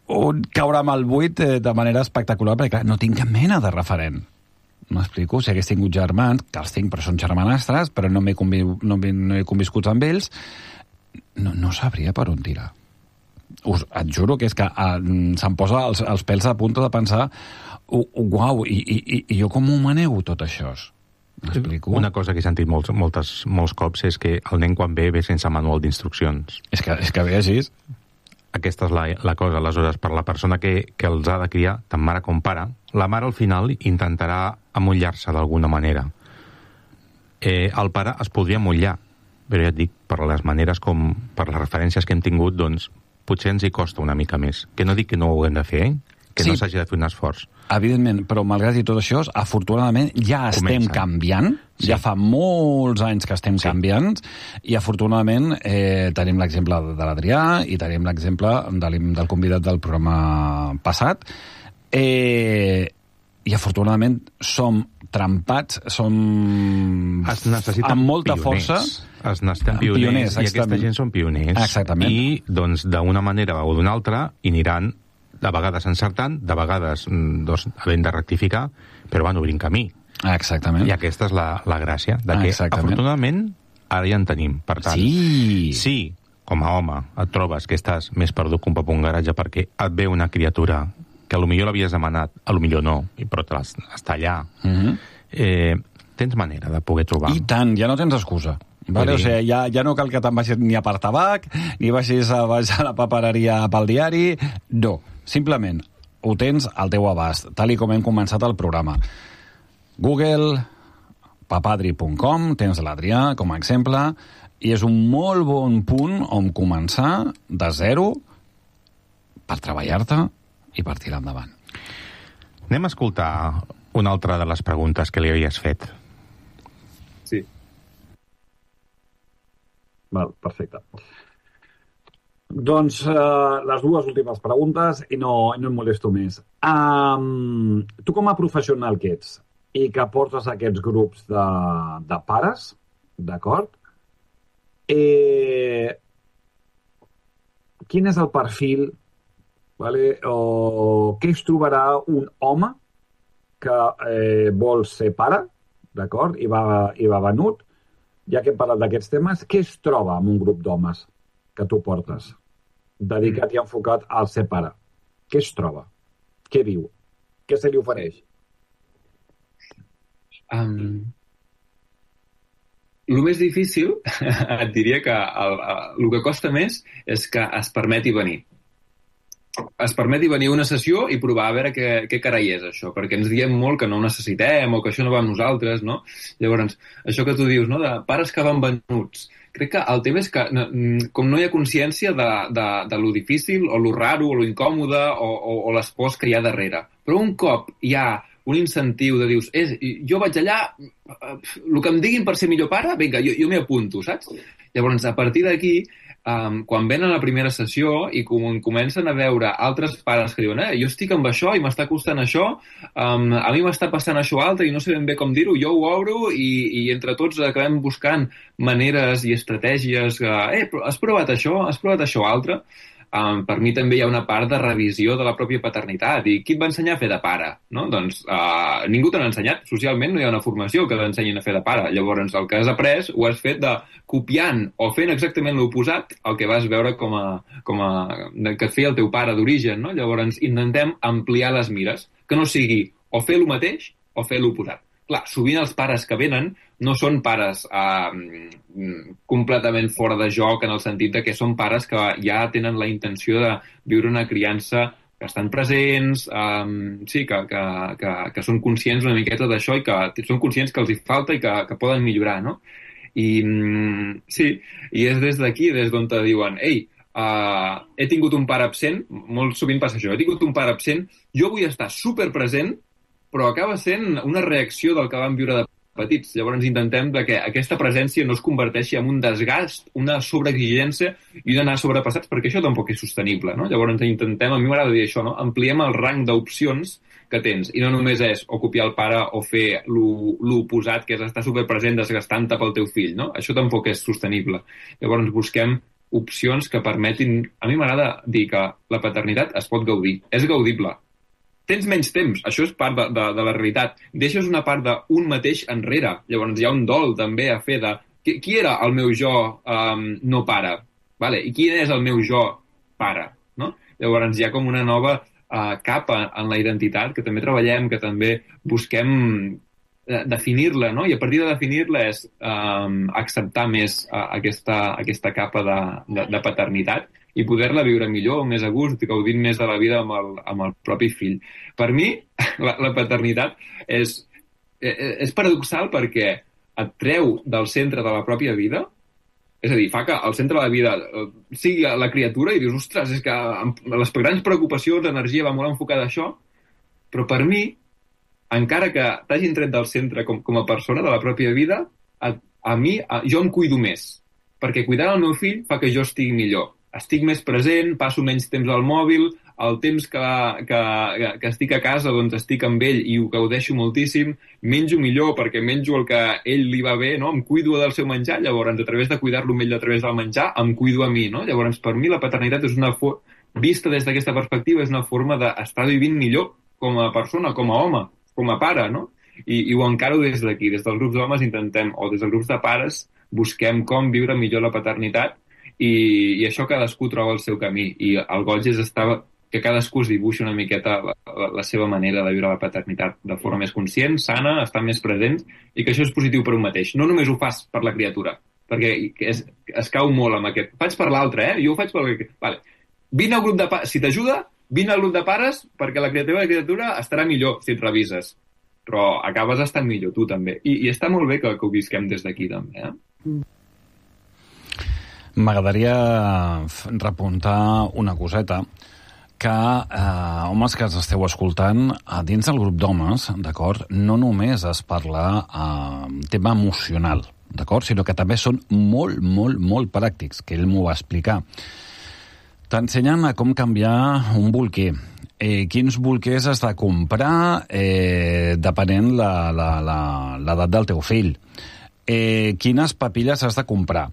S4: un caure amb el buit eh, de manera espectacular, perquè clar, no tinc cap mena de referent. M'explico? Si hagués tingut germans, que els tinc, però són germanastres, però no m'he convi no no he conviscut amb ells, no, no sabria per on tirar. Us, et juro que és que uh, se'm posa els, els pèls a punta de pensar uh, uh, uau, i, i, i jo com ho manego tot això? M'explico?
S3: Una cosa que he sentit molts, moltes, molts cops és que el nen quan ve ve sense manual d'instruccions.
S4: És que, és que ve així.
S3: Aquesta és la, la cosa. Aleshores, per la persona que, que els ha de criar, tant mare com pare, la mare al final intentarà amollar-se d'alguna manera. Eh, el pare es podria amollar, però ja et dic, per les maneres com, per les referències que hem tingut, doncs, potser ens hi costa una mica més. Que no dic que no ho haguem de fer, eh? Que sí, no s'hagi de fer un esforç.
S4: Evidentment, però malgrat i tot això, afortunadament ja estem Comença. canviant, sí. ja fa molts anys que estem sí. canviant, i afortunadament eh, tenim l'exemple de l'Adrià i tenim l'exemple de, del convidat del programa passat, eh, i afortunadament som trempats, som amb molta
S3: pioners.
S4: força.
S3: Es necessiten pioners, pioners i aquesta gent són pioners.
S4: Exactament.
S3: I, doncs, d'una manera o d'una altra, hi aniran de vegades encertant, de vegades doncs, havent de rectificar, però van obrint camí.
S4: Exactament.
S3: I aquesta és la, la gràcia, de que, Exactament. afortunadament, ara ja en tenim. Per tant,
S4: sí.
S3: sí, com a home, et trobes que estàs més perdut que un pap un garatge perquè et ve una criatura que a lo millor l'havies demanat, a lo millor no, però està allà.
S4: Mm-hmm.
S3: eh, tens manera de poder trobar.
S4: I tant, ja no tens excusa. Vale, o sigui, ja, ja no cal que te'n vagis ni a per tabac, ni vagis a, a la papereria pel diari. No, simplement ho tens al teu abast, tal i com hem començat el programa. Google, papadri punt com, tens l'Adrià com a exemple, i és un molt bon punt on començar de zero per treballar-te i per tirar endavant.
S3: Anem a escoltar una altra de les preguntes que li havies fet.
S5: Sí. Val, perfecte. Doncs uh, les dues últimes preguntes i no, no em molesto més. Um, tu com a professional que ets i que portes aquests grups de, de pares, d'acord? Eh, quin és el perfil, vale, o què es trobarà un home que eh, vol ser pare, d'acord, i va, i va venut, ja que hem parlat d'aquests temes, què es troba en un grup d'homes que tu portes, dedicat i enfocat al ser pare? Què es troba? Què viu? Què se li ofereix?
S6: Um, el més difícil, et diria que el, el, el que costa més és que es permeti venir. Es permeti venir a una sessió i provar a veure què, què carai és això, perquè ens diem molt que no ho necessitem o que això no va amb nosaltres, no? Llavors, això que tu dius, no?, de pares que van venuts. Crec que el tema és que com no hi ha consciència de, de, de lo difícil o lo raro o lo incòmode o, o, o l'espòs que hi ha darrere. Però un cop hi ha un incentiu de dius, és, jo vaig allà, el que em diguin per ser millor pare, vinga, jo, jo m'hi apunto, saps? Llavors, a partir d'aquí, Um, quan venen a la primera sessió i com comencen a veure altres pares que diuen, eh, jo estic amb això i m'està costant això, um, a mi m'està passant això altre i no sé ben bé com dir-ho, jo ho obro i, i entre tots acabem buscant maneres i estratègies que, eh, has provat això, has provat això altre. Um, per mi també hi ha una part de revisió de la pròpia paternitat. I qui et va ensenyar a fer de pare? No? Doncs uh, ningú te n'ha ensenyat. Socialment no hi ha una formació que t'ensenyin a fer de pare. Llavors el que has après ho has fet de copiant o fent exactament l'oposat al que vas veure com a, com a, que et feia el teu pare d'origen. No? Llavors intentem ampliar les mires, que no sigui o fer el mateix o fer l'oposat. Clar, sovint els pares que venen no són pares eh, completament fora de joc en el sentit de que són pares que ja tenen la intenció de viure una criança que estan presents, eh, sí, que, que, que, que són conscients una miqueta d'això i que són conscients que els hi falta i que, que poden millorar, no? I sí, i és des d'aquí, des d'on te diuen, ei, uh, he tingut un pare absent, molt sovint passa això, he tingut un pare absent, jo vull estar superpresent, però acaba sent una reacció del que vam viure de petits. Llavors intentem que aquesta presència no es converteixi en un desgast, una sobreexigència i un anar sobrepassats, perquè això tampoc és sostenible, no? Llavors intentem, a mi m'agrada dir això, no? Ampliem el rang d'opcions que tens, i no només és o copiar el pare o fer l'oposat, que és estar superpresent desgastant-te pel teu fill, no? Això tampoc és sostenible. Llavors busquem opcions que permetin... A mi m'agrada dir que la paternitat es pot gaudir, és gaudible. Tens menys temps, això és part de, de, de la realitat. Deixes una part d'un mateix enrere. Llavors hi ha un dol també a fer de... Qui, qui era el meu jo um, no pare? Vale? I quin és el meu jo pare? No? Llavors hi ha com una nova uh, capa en la identitat que també treballem, que també busquem uh, definir-la, no? I a partir de definir-la és um, acceptar més uh, aquesta, aquesta capa de, de, de paternitat i poder-la viure millor, més a gust, gaudint més de la vida amb el, amb el propi fill. Per mi, la, la paternitat és, és paradoxal perquè et treu del centre de la pròpia vida És a dir, fa que al centre de la vida sigui la criatura i dius, ostres, és que les grans preocupacions, l'energia va molt enfocada a això, però per mi, encara que t'hagin tret del centre com, com a persona de la pròpia vida, a, a mi, a, jo em cuido més, perquè cuidar el meu fill fa que jo estigui millor. Estic més present, passo menys temps al mòbil, el temps que, que, que estic a casa doncs estic amb ell i ho gaudeixo moltíssim, menjo millor perquè menjo el que a ell li va bé, no? Em cuido del seu menjar, llavors a través de cuidar-lo amb ell a través del menjar, em cuido a mi, no? Llavors per mi la paternitat és una for- vista des d'aquesta perspectiva és una forma d'estar vivint millor com a persona, com a home, com a pare, no? I, i ho encaro des d'aquí, des dels grups d'homes intentem, o des dels grups de pares, busquem com viure millor la paternitat i, i això cadascú troba el seu camí. I el goig és estar, que cadascú es dibuixi una miqueta la, la, la seva manera de viure la paternitat de forma més conscient, sana, estar més present, i que això és positiu per un mateix. No només ho fas per la criatura, perquè es, es cau molt amb aquest... Faig per l'altre, eh? Jo ho faig per... Vale. Vine al grup de pares, si t'ajuda, vine al grup de pares perquè la criatura la criatura estarà millor si et revises. Però acabes estant millor tu també. I, i està molt bé que, que ho visquem des d'aquí també, eh?
S4: M'agradaria repuntar una coseta que, eh, homes que ens esteu escoltant, dins del grup d'homes, d'acord, no només es parla eh, tema emocional, d'acord, sinó que també són molt, molt, molt pràctics, que ell m'ho va explicar. T'ensenyen a com canviar un bolquer, eh, quins bolquers has de comprar eh, depenent la, la, la, l'edat del teu fill, eh, quines papilles has de comprar,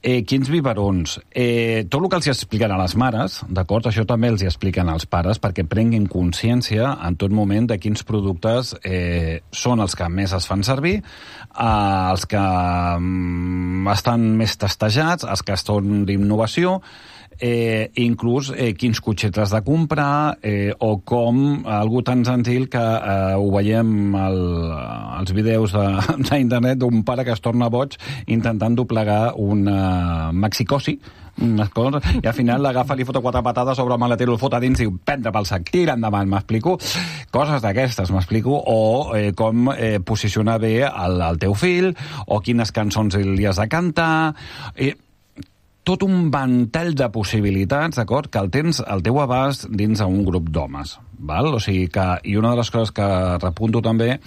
S4: eh, quins biberons, eh, tot el que els expliquen a les mares, d'acord? Això també els expliquen als pares perquè prenguin consciència en tot moment de quins productes eh, són els que més es fan servir, eh, els que mm, estan més testejats, els que són d'innovació, Eh, inclús eh, quins cotxets has de comprar eh, o com algú tan senzill que eh, ho veiem al, als vídeos d'internet d'un pare que es torna boig intentant doblegar una maxicosi unes coses, i al final l'agafa, li fota quatre patades sobre el maletero, el fota dins i diu, prendre pel sac, tira endavant, m'explico? Coses d'aquestes, m'explico? O eh, com eh, posicionar bé el, el teu fill, o quines cançons li has de cantar... Eh, tot un ventall de possibilitats, d'acord, que el tens al teu abast dins d'un grup d'homes, val? O sigui que, i una de les coses que repunto també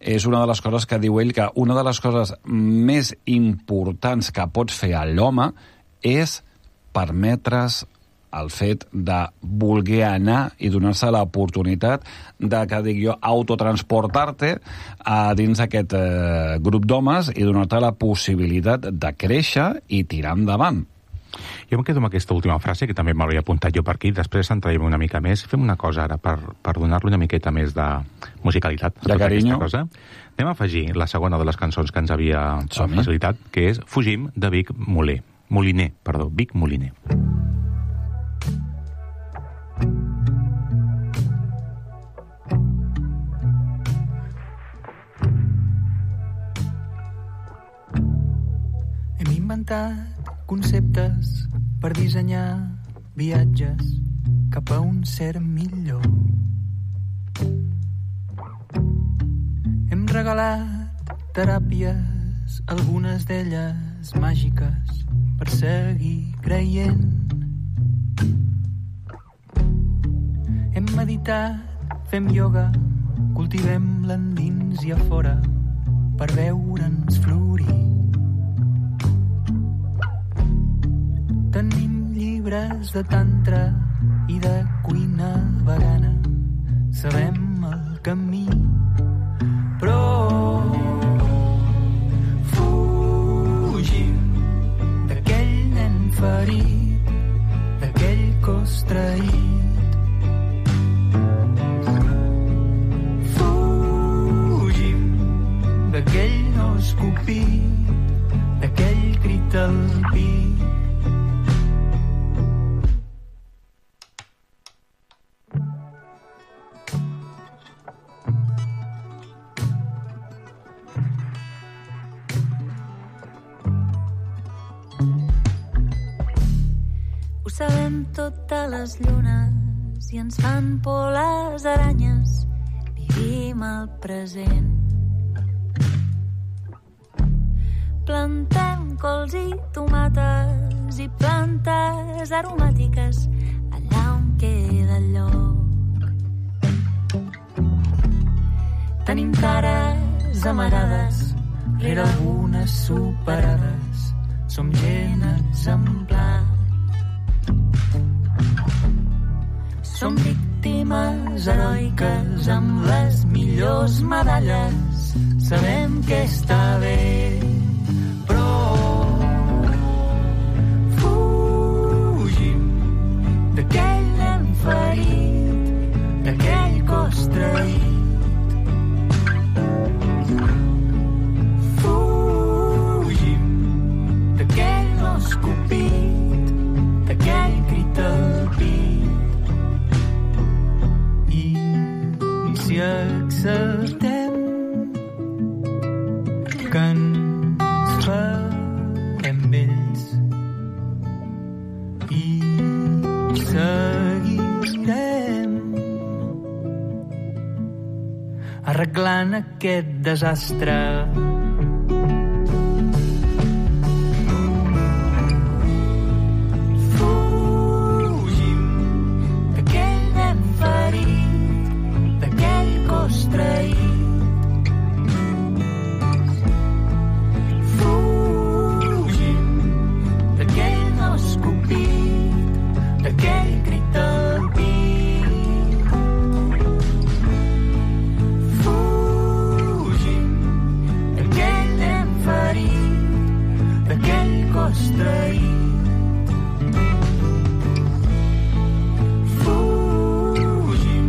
S4: és una de les coses que diu ell, que una de les coses més importants que pots fer a l'home és permetre's el fet de voler anar i donar-se l'oportunitat de, que dic jo, autotransportar-te a dins aquest eh, grup d'homes i donar-te la possibilitat de créixer i tirar endavant.
S3: Jo em quedo amb aquesta última frase, que també m'hauria apuntat jo per aquí, després entrarem una mica més. Fem una cosa ara per, per donar-li una miqueta més de musicalitat a
S4: de
S3: tota
S4: carinyo.
S3: aquesta cosa. Anem a afegir la segona de les cançons que ens havia
S4: Som-hi.
S3: facilitat, que és Fugim, de Vic Moler. Moliner, perdó, Vic Moliner.
S9: Hem inventat conceptes per dissenyar viatges cap a un cert millor. Hem regalat teràpies, algunes d'elles màgiques, per seguir creient. Hem meditat, fem ioga, cultivem l'endins i a fora per veure'ns florir. Tenim llibres de tantra i de cuina vegana. Sabem el camí, però fugim d'aquell nen ferit, d'aquell cos traït. Fugim d'aquell no escopit, d'aquell crit al pit.
S10: Sabem totes les llunes i ens fan por les aranyes. Vivim el present. plantem cols i tomates i plantes aromàtiques allà on queda el lloc. Tenim cares amagades
S9: rere algunes superades. Som gent exemplar.
S10: Som víctimes heroiques amb les millors medalles.
S9: Sabem que està bé, però fugim
S10: d'aquell nen ferit,
S9: d'aquell cos traït.
S10: Fugim
S9: d'aquell no escopit, d'aquell crit al pit. I si acceptem que ens farem vells i seguirem arreglant aquest desastre.
S10: Fugim d'aquell nen ferit, d'aquell cos traït.
S9: D'aquell crit al pit.
S10: Fugim d'aquell nen ferit,
S9: d'aquell cos traït.
S10: Fugim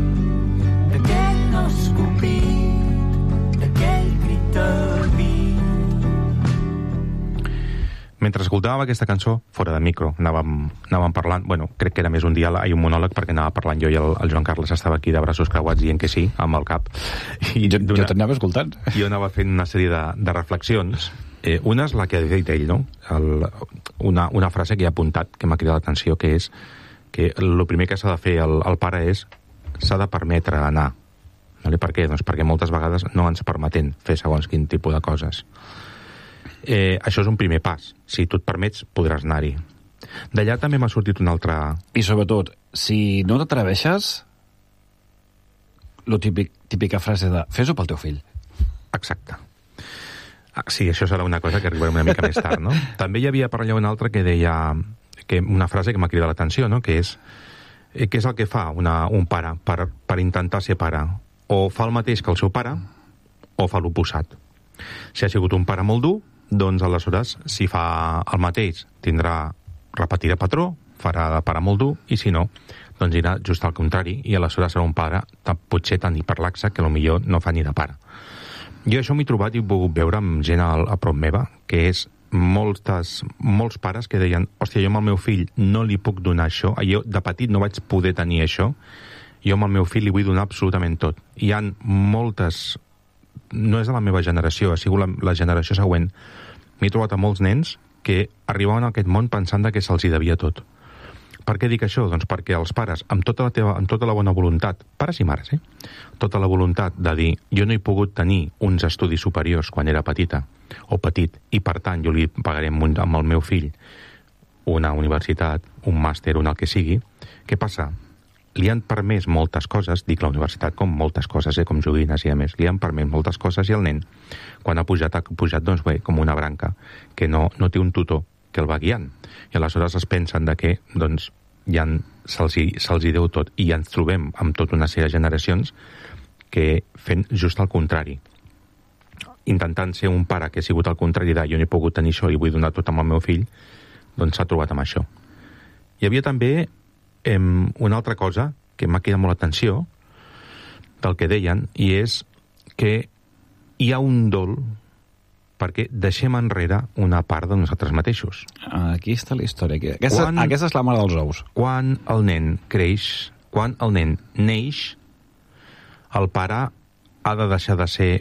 S9: d'aquell no escopit, d'aquell crit al pit.
S3: Mentre escoltàvem aquesta cançó, fora de micro, anàvem, anàvem parlant, bueno, crec que era més un diàleg i un monòleg, perquè anava parlant jo i el, el Joan Carles estava aquí de braços creuats dient que sí, amb el cap.
S4: I jo, jo t'anava escoltant.
S3: Jo anava fent una sèrie de, de reflexions. Eh, una és la que ha dit ell, no? El, una, una frase que he apuntat, que m'ha cridat l'atenció, que és que el primer que s'ha de fer el, el pare és s'ha de permetre anar. Vale? Per què? Doncs perquè moltes vegades no ens permetem fer segons quin tipus de coses. Eh, això és un primer pas. Si tu et permets, podràs anar-hi. D'allà també m'ha sortit un altre...
S4: I sobretot, si no t'atreveixes, la típic, típica frase de fes-ho pel teu fill.
S3: Exacte. Ah, sí, això serà una cosa que arribarem una mica més tard, no? També hi havia per allà una altra que deia... Que una frase que m'ha cridat l'atenció, no? Que és... Eh, què és el que fa una, un pare per, per intentar ser pare? O fa el mateix que el seu pare, o fa l'oposat. Si ha sigut un pare molt dur, doncs aleshores, si fa el mateix, tindrà, repetirà patró, farà de pare molt dur, i si no, doncs irà just al contrari, i aleshores serà un pare potser tan hiperlaxe que potser no fa ni de pare. Jo això m'he trobat i he pogut veure amb gent a, a prop meva, que és moltes, molts pares que deien, hòstia, jo amb el meu fill no li puc donar això, jo de petit no vaig poder tenir això, jo amb el meu fill li vull donar absolutament tot. Hi ha moltes... no és de la meva generació, ha sigut la, la generació següent. M'he trobat a molts nens que arribaven a aquest món pensant que se'ls hi devia tot. Per què dic això? Doncs perquè els pares, amb tota la, teva, amb tota la bona voluntat, pares i mares, eh? Tota la voluntat de dir, jo no he pogut tenir uns estudis superiors quan era petita, o petit, i per tant jo li pagaré amb, amb el meu fill una universitat, un màster, un el que sigui. Què passa? Li han permès moltes coses, dic la universitat com moltes coses, eh, com joguines i a més, li han permès moltes coses i el nen, quan ha pujat, ha pujat doncs bé, com una branca, que no, no té un tutor que el va guiant. I aleshores es pensen de que doncs, ja se'ls hi, se'ls hi deu tot. I ja ens trobem amb tota una sèrie de generacions que fent just el contrari. Intentant ser un pare que ha sigut al contrari de jo no he pogut tenir això i vull donar tot amb el meu fill, doncs s'ha trobat amb això. Hi havia també una altra cosa que m'ha cridat molt l'atenció del que deien, i és que hi ha un dol perquè deixem enrere una part de nosaltres mateixos.
S4: Aquí està la història. Aquesta, quan, aquesta és la mare dels ous.
S3: Quan el nen creix, quan el nen neix, el pare ha de deixar de ser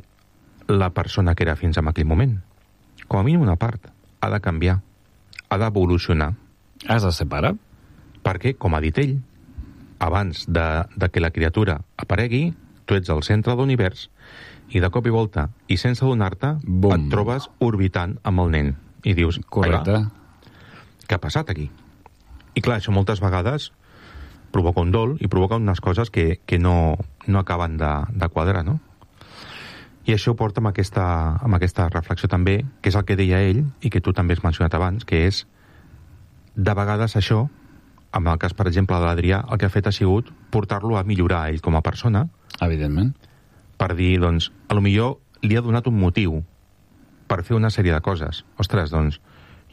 S3: la persona que era fins a aquell moment. Com a mínim una part. Ha de canviar. Ha d'evolucionar.
S4: Has de ser pare?
S3: Perquè, com ha dit ell, abans de, de que la criatura aparegui, tu ets el centre de l'univers i de cop i volta, i sense adonar-te, et trobes orbitant amb el nen. I dius,
S4: correcte,
S3: què ha passat aquí? I clar, això moltes vegades provoca un dol i provoca unes coses que, que no, no acaben de, de quadrar, no? I això ho porta amb aquesta, amb aquesta reflexió també, que és el que deia ell, i que tu també has mencionat abans, que és, de vegades això, amb el cas, per exemple, de l'Adrià, el que ha fet ha sigut portar-lo a millorar a ell com a persona.
S4: Evidentment.
S3: Per dir, doncs, a lo millor li ha donat un motiu per fer una sèrie de coses. Ostres, doncs,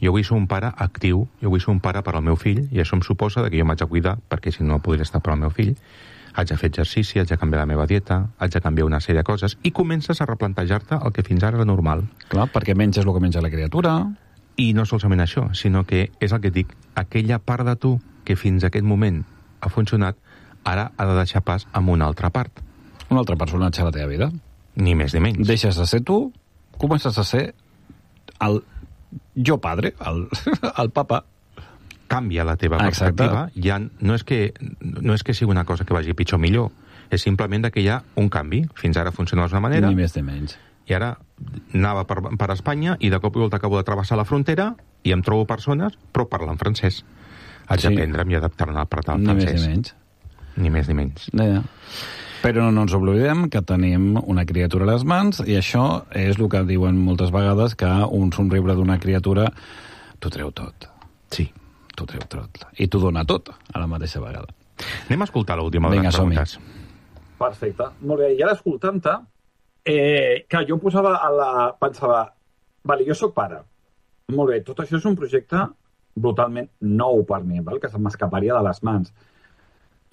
S3: jo vull ser un pare actiu, jo vull ser un pare per al meu fill, i això em suposa que jo m'haig de cuidar, perquè si no podria estar per al meu fill, haig de fer exercici, haig de canviar la meva dieta, haig de canviar una sèrie de coses, i comences a replantejar-te el que fins ara era normal.
S4: Clar, perquè menges el que menja la criatura.
S3: I no solament això, sinó que és el que et dic, aquella part de tu que fins a aquest moment ha funcionat, ara ha de deixar pas amb una altra part.
S4: Un altre personatge a la teva vida.
S3: Ni més ni menys.
S4: Deixes de ser tu, comences a ser el jo padre, el, el papa.
S3: Canvia la teva perspectiva. Ja no, és que, no és que sigui una cosa que vagi pitjor o millor, és simplement que hi ha un canvi. Fins ara funcionava d'una manera.
S4: Ni més ni menys.
S3: I ara anava per, per Espanya i de cop i volta acabo de travessar la frontera i em trobo persones, però parlen francès. Haig sí. d'aprendre'm i adaptar-me a parlar
S4: ni
S3: francès.
S4: Ni més ni menys.
S3: Ni més ni menys.
S4: Ja, ja. Però no ens oblidem que tenim una criatura a les mans i això és el que diuen moltes vegades, que un somriure d'una criatura t'ho treu tot.
S3: Sí.
S4: T'ho treu tot. I t'ho dona tot a la mateixa vegada.
S3: Anem a escoltar l'última de les preguntes.
S5: Perfecte. Molt bé. I ara escoltant-te, eh, que jo em posava a la... pensava, vale, jo sóc pare. Molt bé, tot això és un projecte brutalment nou per mi, val? Que se m'escaparia de les mans.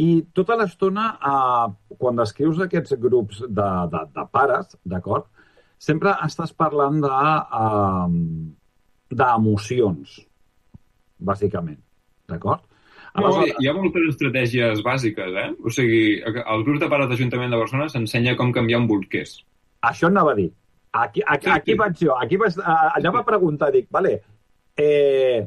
S5: I tota l'estona, eh, quan descrius aquests grups de, de, de pares, d'acord, sempre estàs parlant de, eh, d'emocions, bàsicament, d'acord?
S6: No, hi ha moltes estratègies bàsiques, eh? O sigui, el grup de pares d'Ajuntament de Barcelona s'ensenya com canviar un bolquers.
S5: Això anava a dir. Aquí, aquí, aquí vaig jo, aquí vaig, allà va preguntar, dic, vale, eh,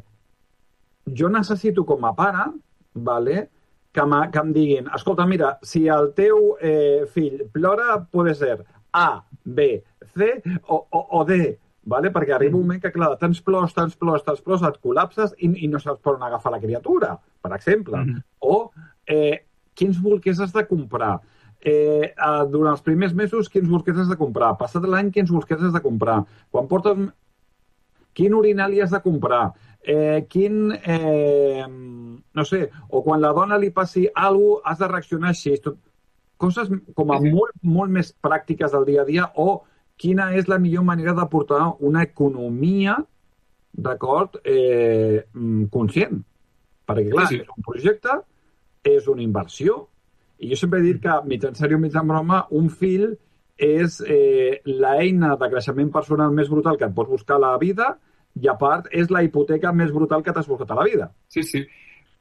S5: jo necessito com a pare, vale, que, que em diguin, escolta, mira, si el teu eh, fill plora, pot ser A, B, C o, o, o D, vale? Perquè arriba un moment que, clar, tants plors, tants plors, tants plors, et col·lapses i, i no saps per on agafar la criatura, per exemple. Mm-hmm. O eh, quins bolquers has de comprar. Eh, eh, durant els primers mesos, quins bolquers has de comprar. Passat l'any, quins bolquers has de comprar. Quan portes... Quin urinali has de comprar. Eh, quin... Eh, no sé, o quan la dona li passi alguna cosa, has de reaccionar així. Tot, coses com a molt, molt més pràctiques del dia a dia, o quina és la millor manera de portar una economia, d'acord, eh, conscient. Perquè, clar, sí, sí. És un projecte, és una inversió, i jo sempre he dit que, mig en sèrio, mig en broma, un fill és eh, l'eina de creixement personal més brutal que et pots buscar a la vida, i a part és la hipoteca més brutal que t'has buscat a la vida.
S6: Sí, sí.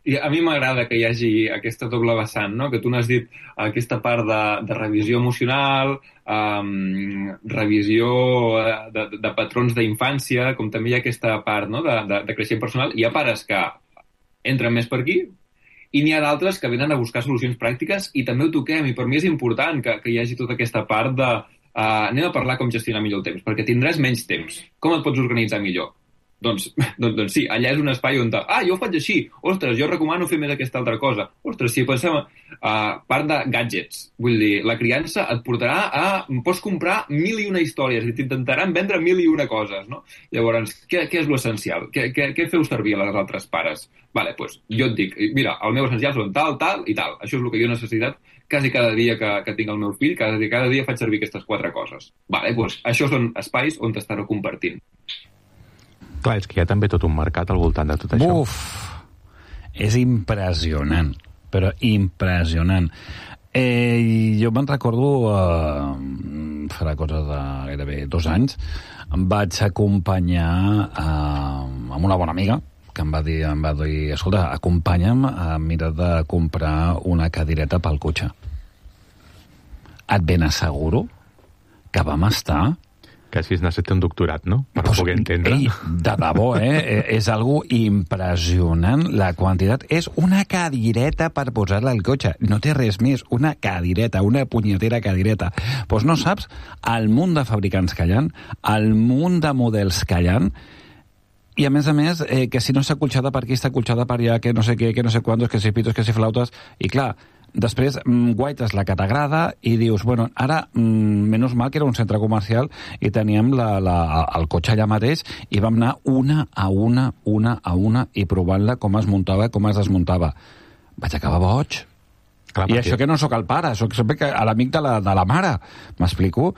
S6: I a mi m'agrada que hi hagi aquesta doble vessant, no? Que tu n'has dit aquesta part de, de revisió emocional, um, revisió de, de, de patrons d'infància, com també hi ha aquesta part, no? de, de, de creixement personal. Hi ha pares que entren més per aquí i n'hi ha d'altres que venen a buscar solucions pràctiques i també ho toquem. I per mi és important que, que hi hagi tota aquesta part de uh, anem a parlar com gestionar millor el temps, perquè tindràs menys temps. Com et pots organitzar millor? Doncs, doncs, doncs sí, allà és un espai on... Ah, jo ho faig així. Ostres, jo recomano fer més aquesta altra cosa. Ostres, si pensem a uh, part de gadgets, vull dir, la criança et portarà a... Pots comprar mil i una històries i t'intentaran vendre mil i una coses, no? Llavors, què, què és l'essencial? Què, què, què feu servir a les altres pares? Vale, doncs jo et dic, mira, el meu essencial són tal, tal i tal. Això és el que jo he necessitat quasi cada dia que, que tinc el meu fill, cada, cada dia faig servir aquestes quatre coses. Vale, doncs això són espais on t'estareu compartint.
S3: Clar, és que hi ha també tot un mercat al voltant de tot això.
S4: Uf, és impressionant, però impressionant. Eh, jo me'n recordo, eh, farà cosa de gairebé dos anys, em vaig acompanyar eh, amb una bona amiga, que em va dir, em va dir escolta, acompanya'm a mirar de comprar una cadireta pel cotxe. Et ben asseguro que vam estar
S3: Que així es necessita un doctorat, no? Per
S4: pues,
S3: poder entendre.
S4: Ei, de debò, eh? És algo impressionant. La quantitat és una cadireta per posar-la al cotxe. No té res més. Una cadireta, una punyetera cadireta. Doncs pues no saps el munt de fabricants que hi ha, el munt de models que hi ha, i a més a més, eh, que si no està colxada per aquí, està colxada per allà, que no sé què, que no sé quantos, que si pitos, que si flautes, i clar, després mm, guaites la que t'agrada i dius, bueno, ara, mm, menys mal que era un centre comercial i teníem la, la, el cotxe allà mateix i vam anar una a una, una a una i provant-la com es muntava, com es desmuntava. Vaig acabar boig. Clar, I això que no sóc el pare, sóc sempre que a l'amic de, la, de la mare. M'explico?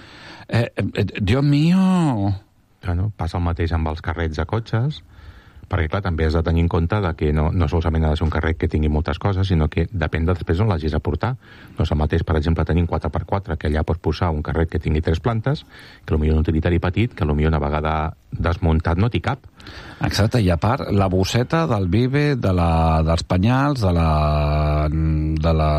S4: Eh, eh, Dios mío...
S3: Bueno, passa el mateix amb els carrets de cotxes, perquè, clar, també has de tenir en compte de que no, no solament ha de ser un carret que tingui moltes coses, sinó que depèn de després on l'hagis a portar. No és el mateix, per exemple, tenir un quatre per quatre, que allà pots posar un carret que tingui tres plantes, que potser un utilitari petit, que potser una vegada desmuntat no t'hi cap.
S4: Exacte, i a part, la bosseta del Vive, de la, dels penyals, de la, de la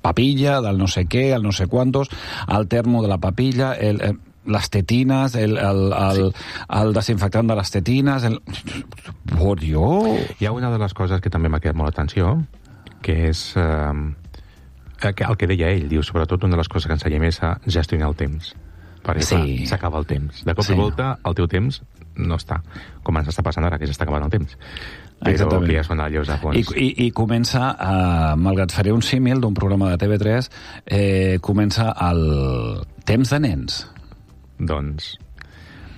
S4: papilla, del no sé què, el no sé quantos, el termo de la papilla, el... el les tetines, el, el, el, sí. el desinfectant de les tetines... El... Oh, Dios!
S3: Hi ha una de les coses que també m'ha quedat molt l'atenció, que és eh, el que deia ell, diu, sobretot una de les coses que ensenya més a gestionar el temps. Perquè sí. S'acaba el temps. De cop sí. i volta, el teu temps no està. Com ens està passant ara, que s'està acabant el temps. Però
S4: exactament.
S3: Que ja són allòs a fons.
S4: I, i, i comença, eh, malgrat faré un símil d'un programa de T V tres, eh, comença el temps de nens.
S3: Doncs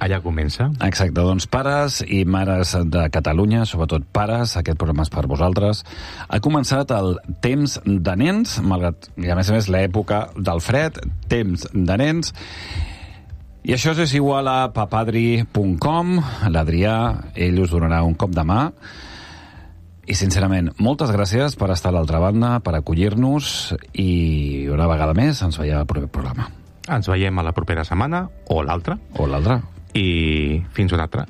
S3: allà comença.
S4: Exacte, doncs pares i mares de Catalunya, sobretot pares, aquest programa és per vosaltres. Ha començat el temps de nens, malgrat, i a més a més, l'època del fred, temps de nens. I això és igual a papadri punt com, l'Adrià, ell us donarà un cop de mà. I, sincerament, moltes gràcies per estar a l'altra banda, per acollir-nos, i una vegada més ens veiem al proper programa.
S3: Ens veiem a la propera setmana, o l'altra.
S4: O l'altra.
S3: I fins una altra.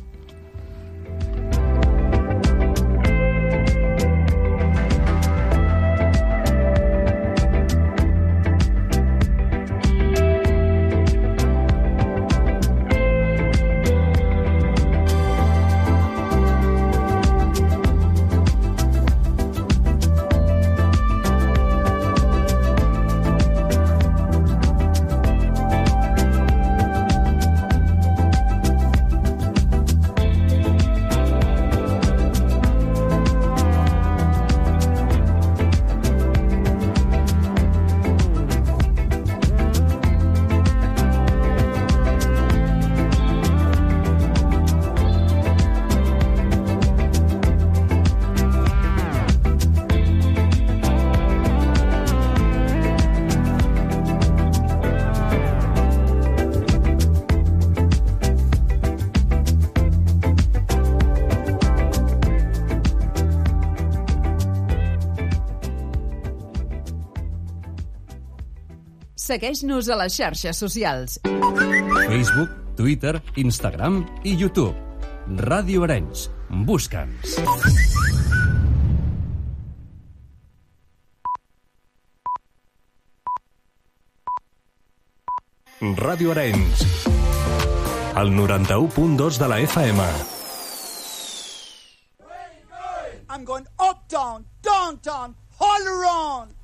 S2: Segueix-nos a les xarxes socials.
S11: Facebook, Twitter, Instagram i YouTube. Ràdio Arenys. Busca'ns. Ràdio Arenys. El noranta-u punt dos de la F M.
S12: I'm going up, down, down, down, all around.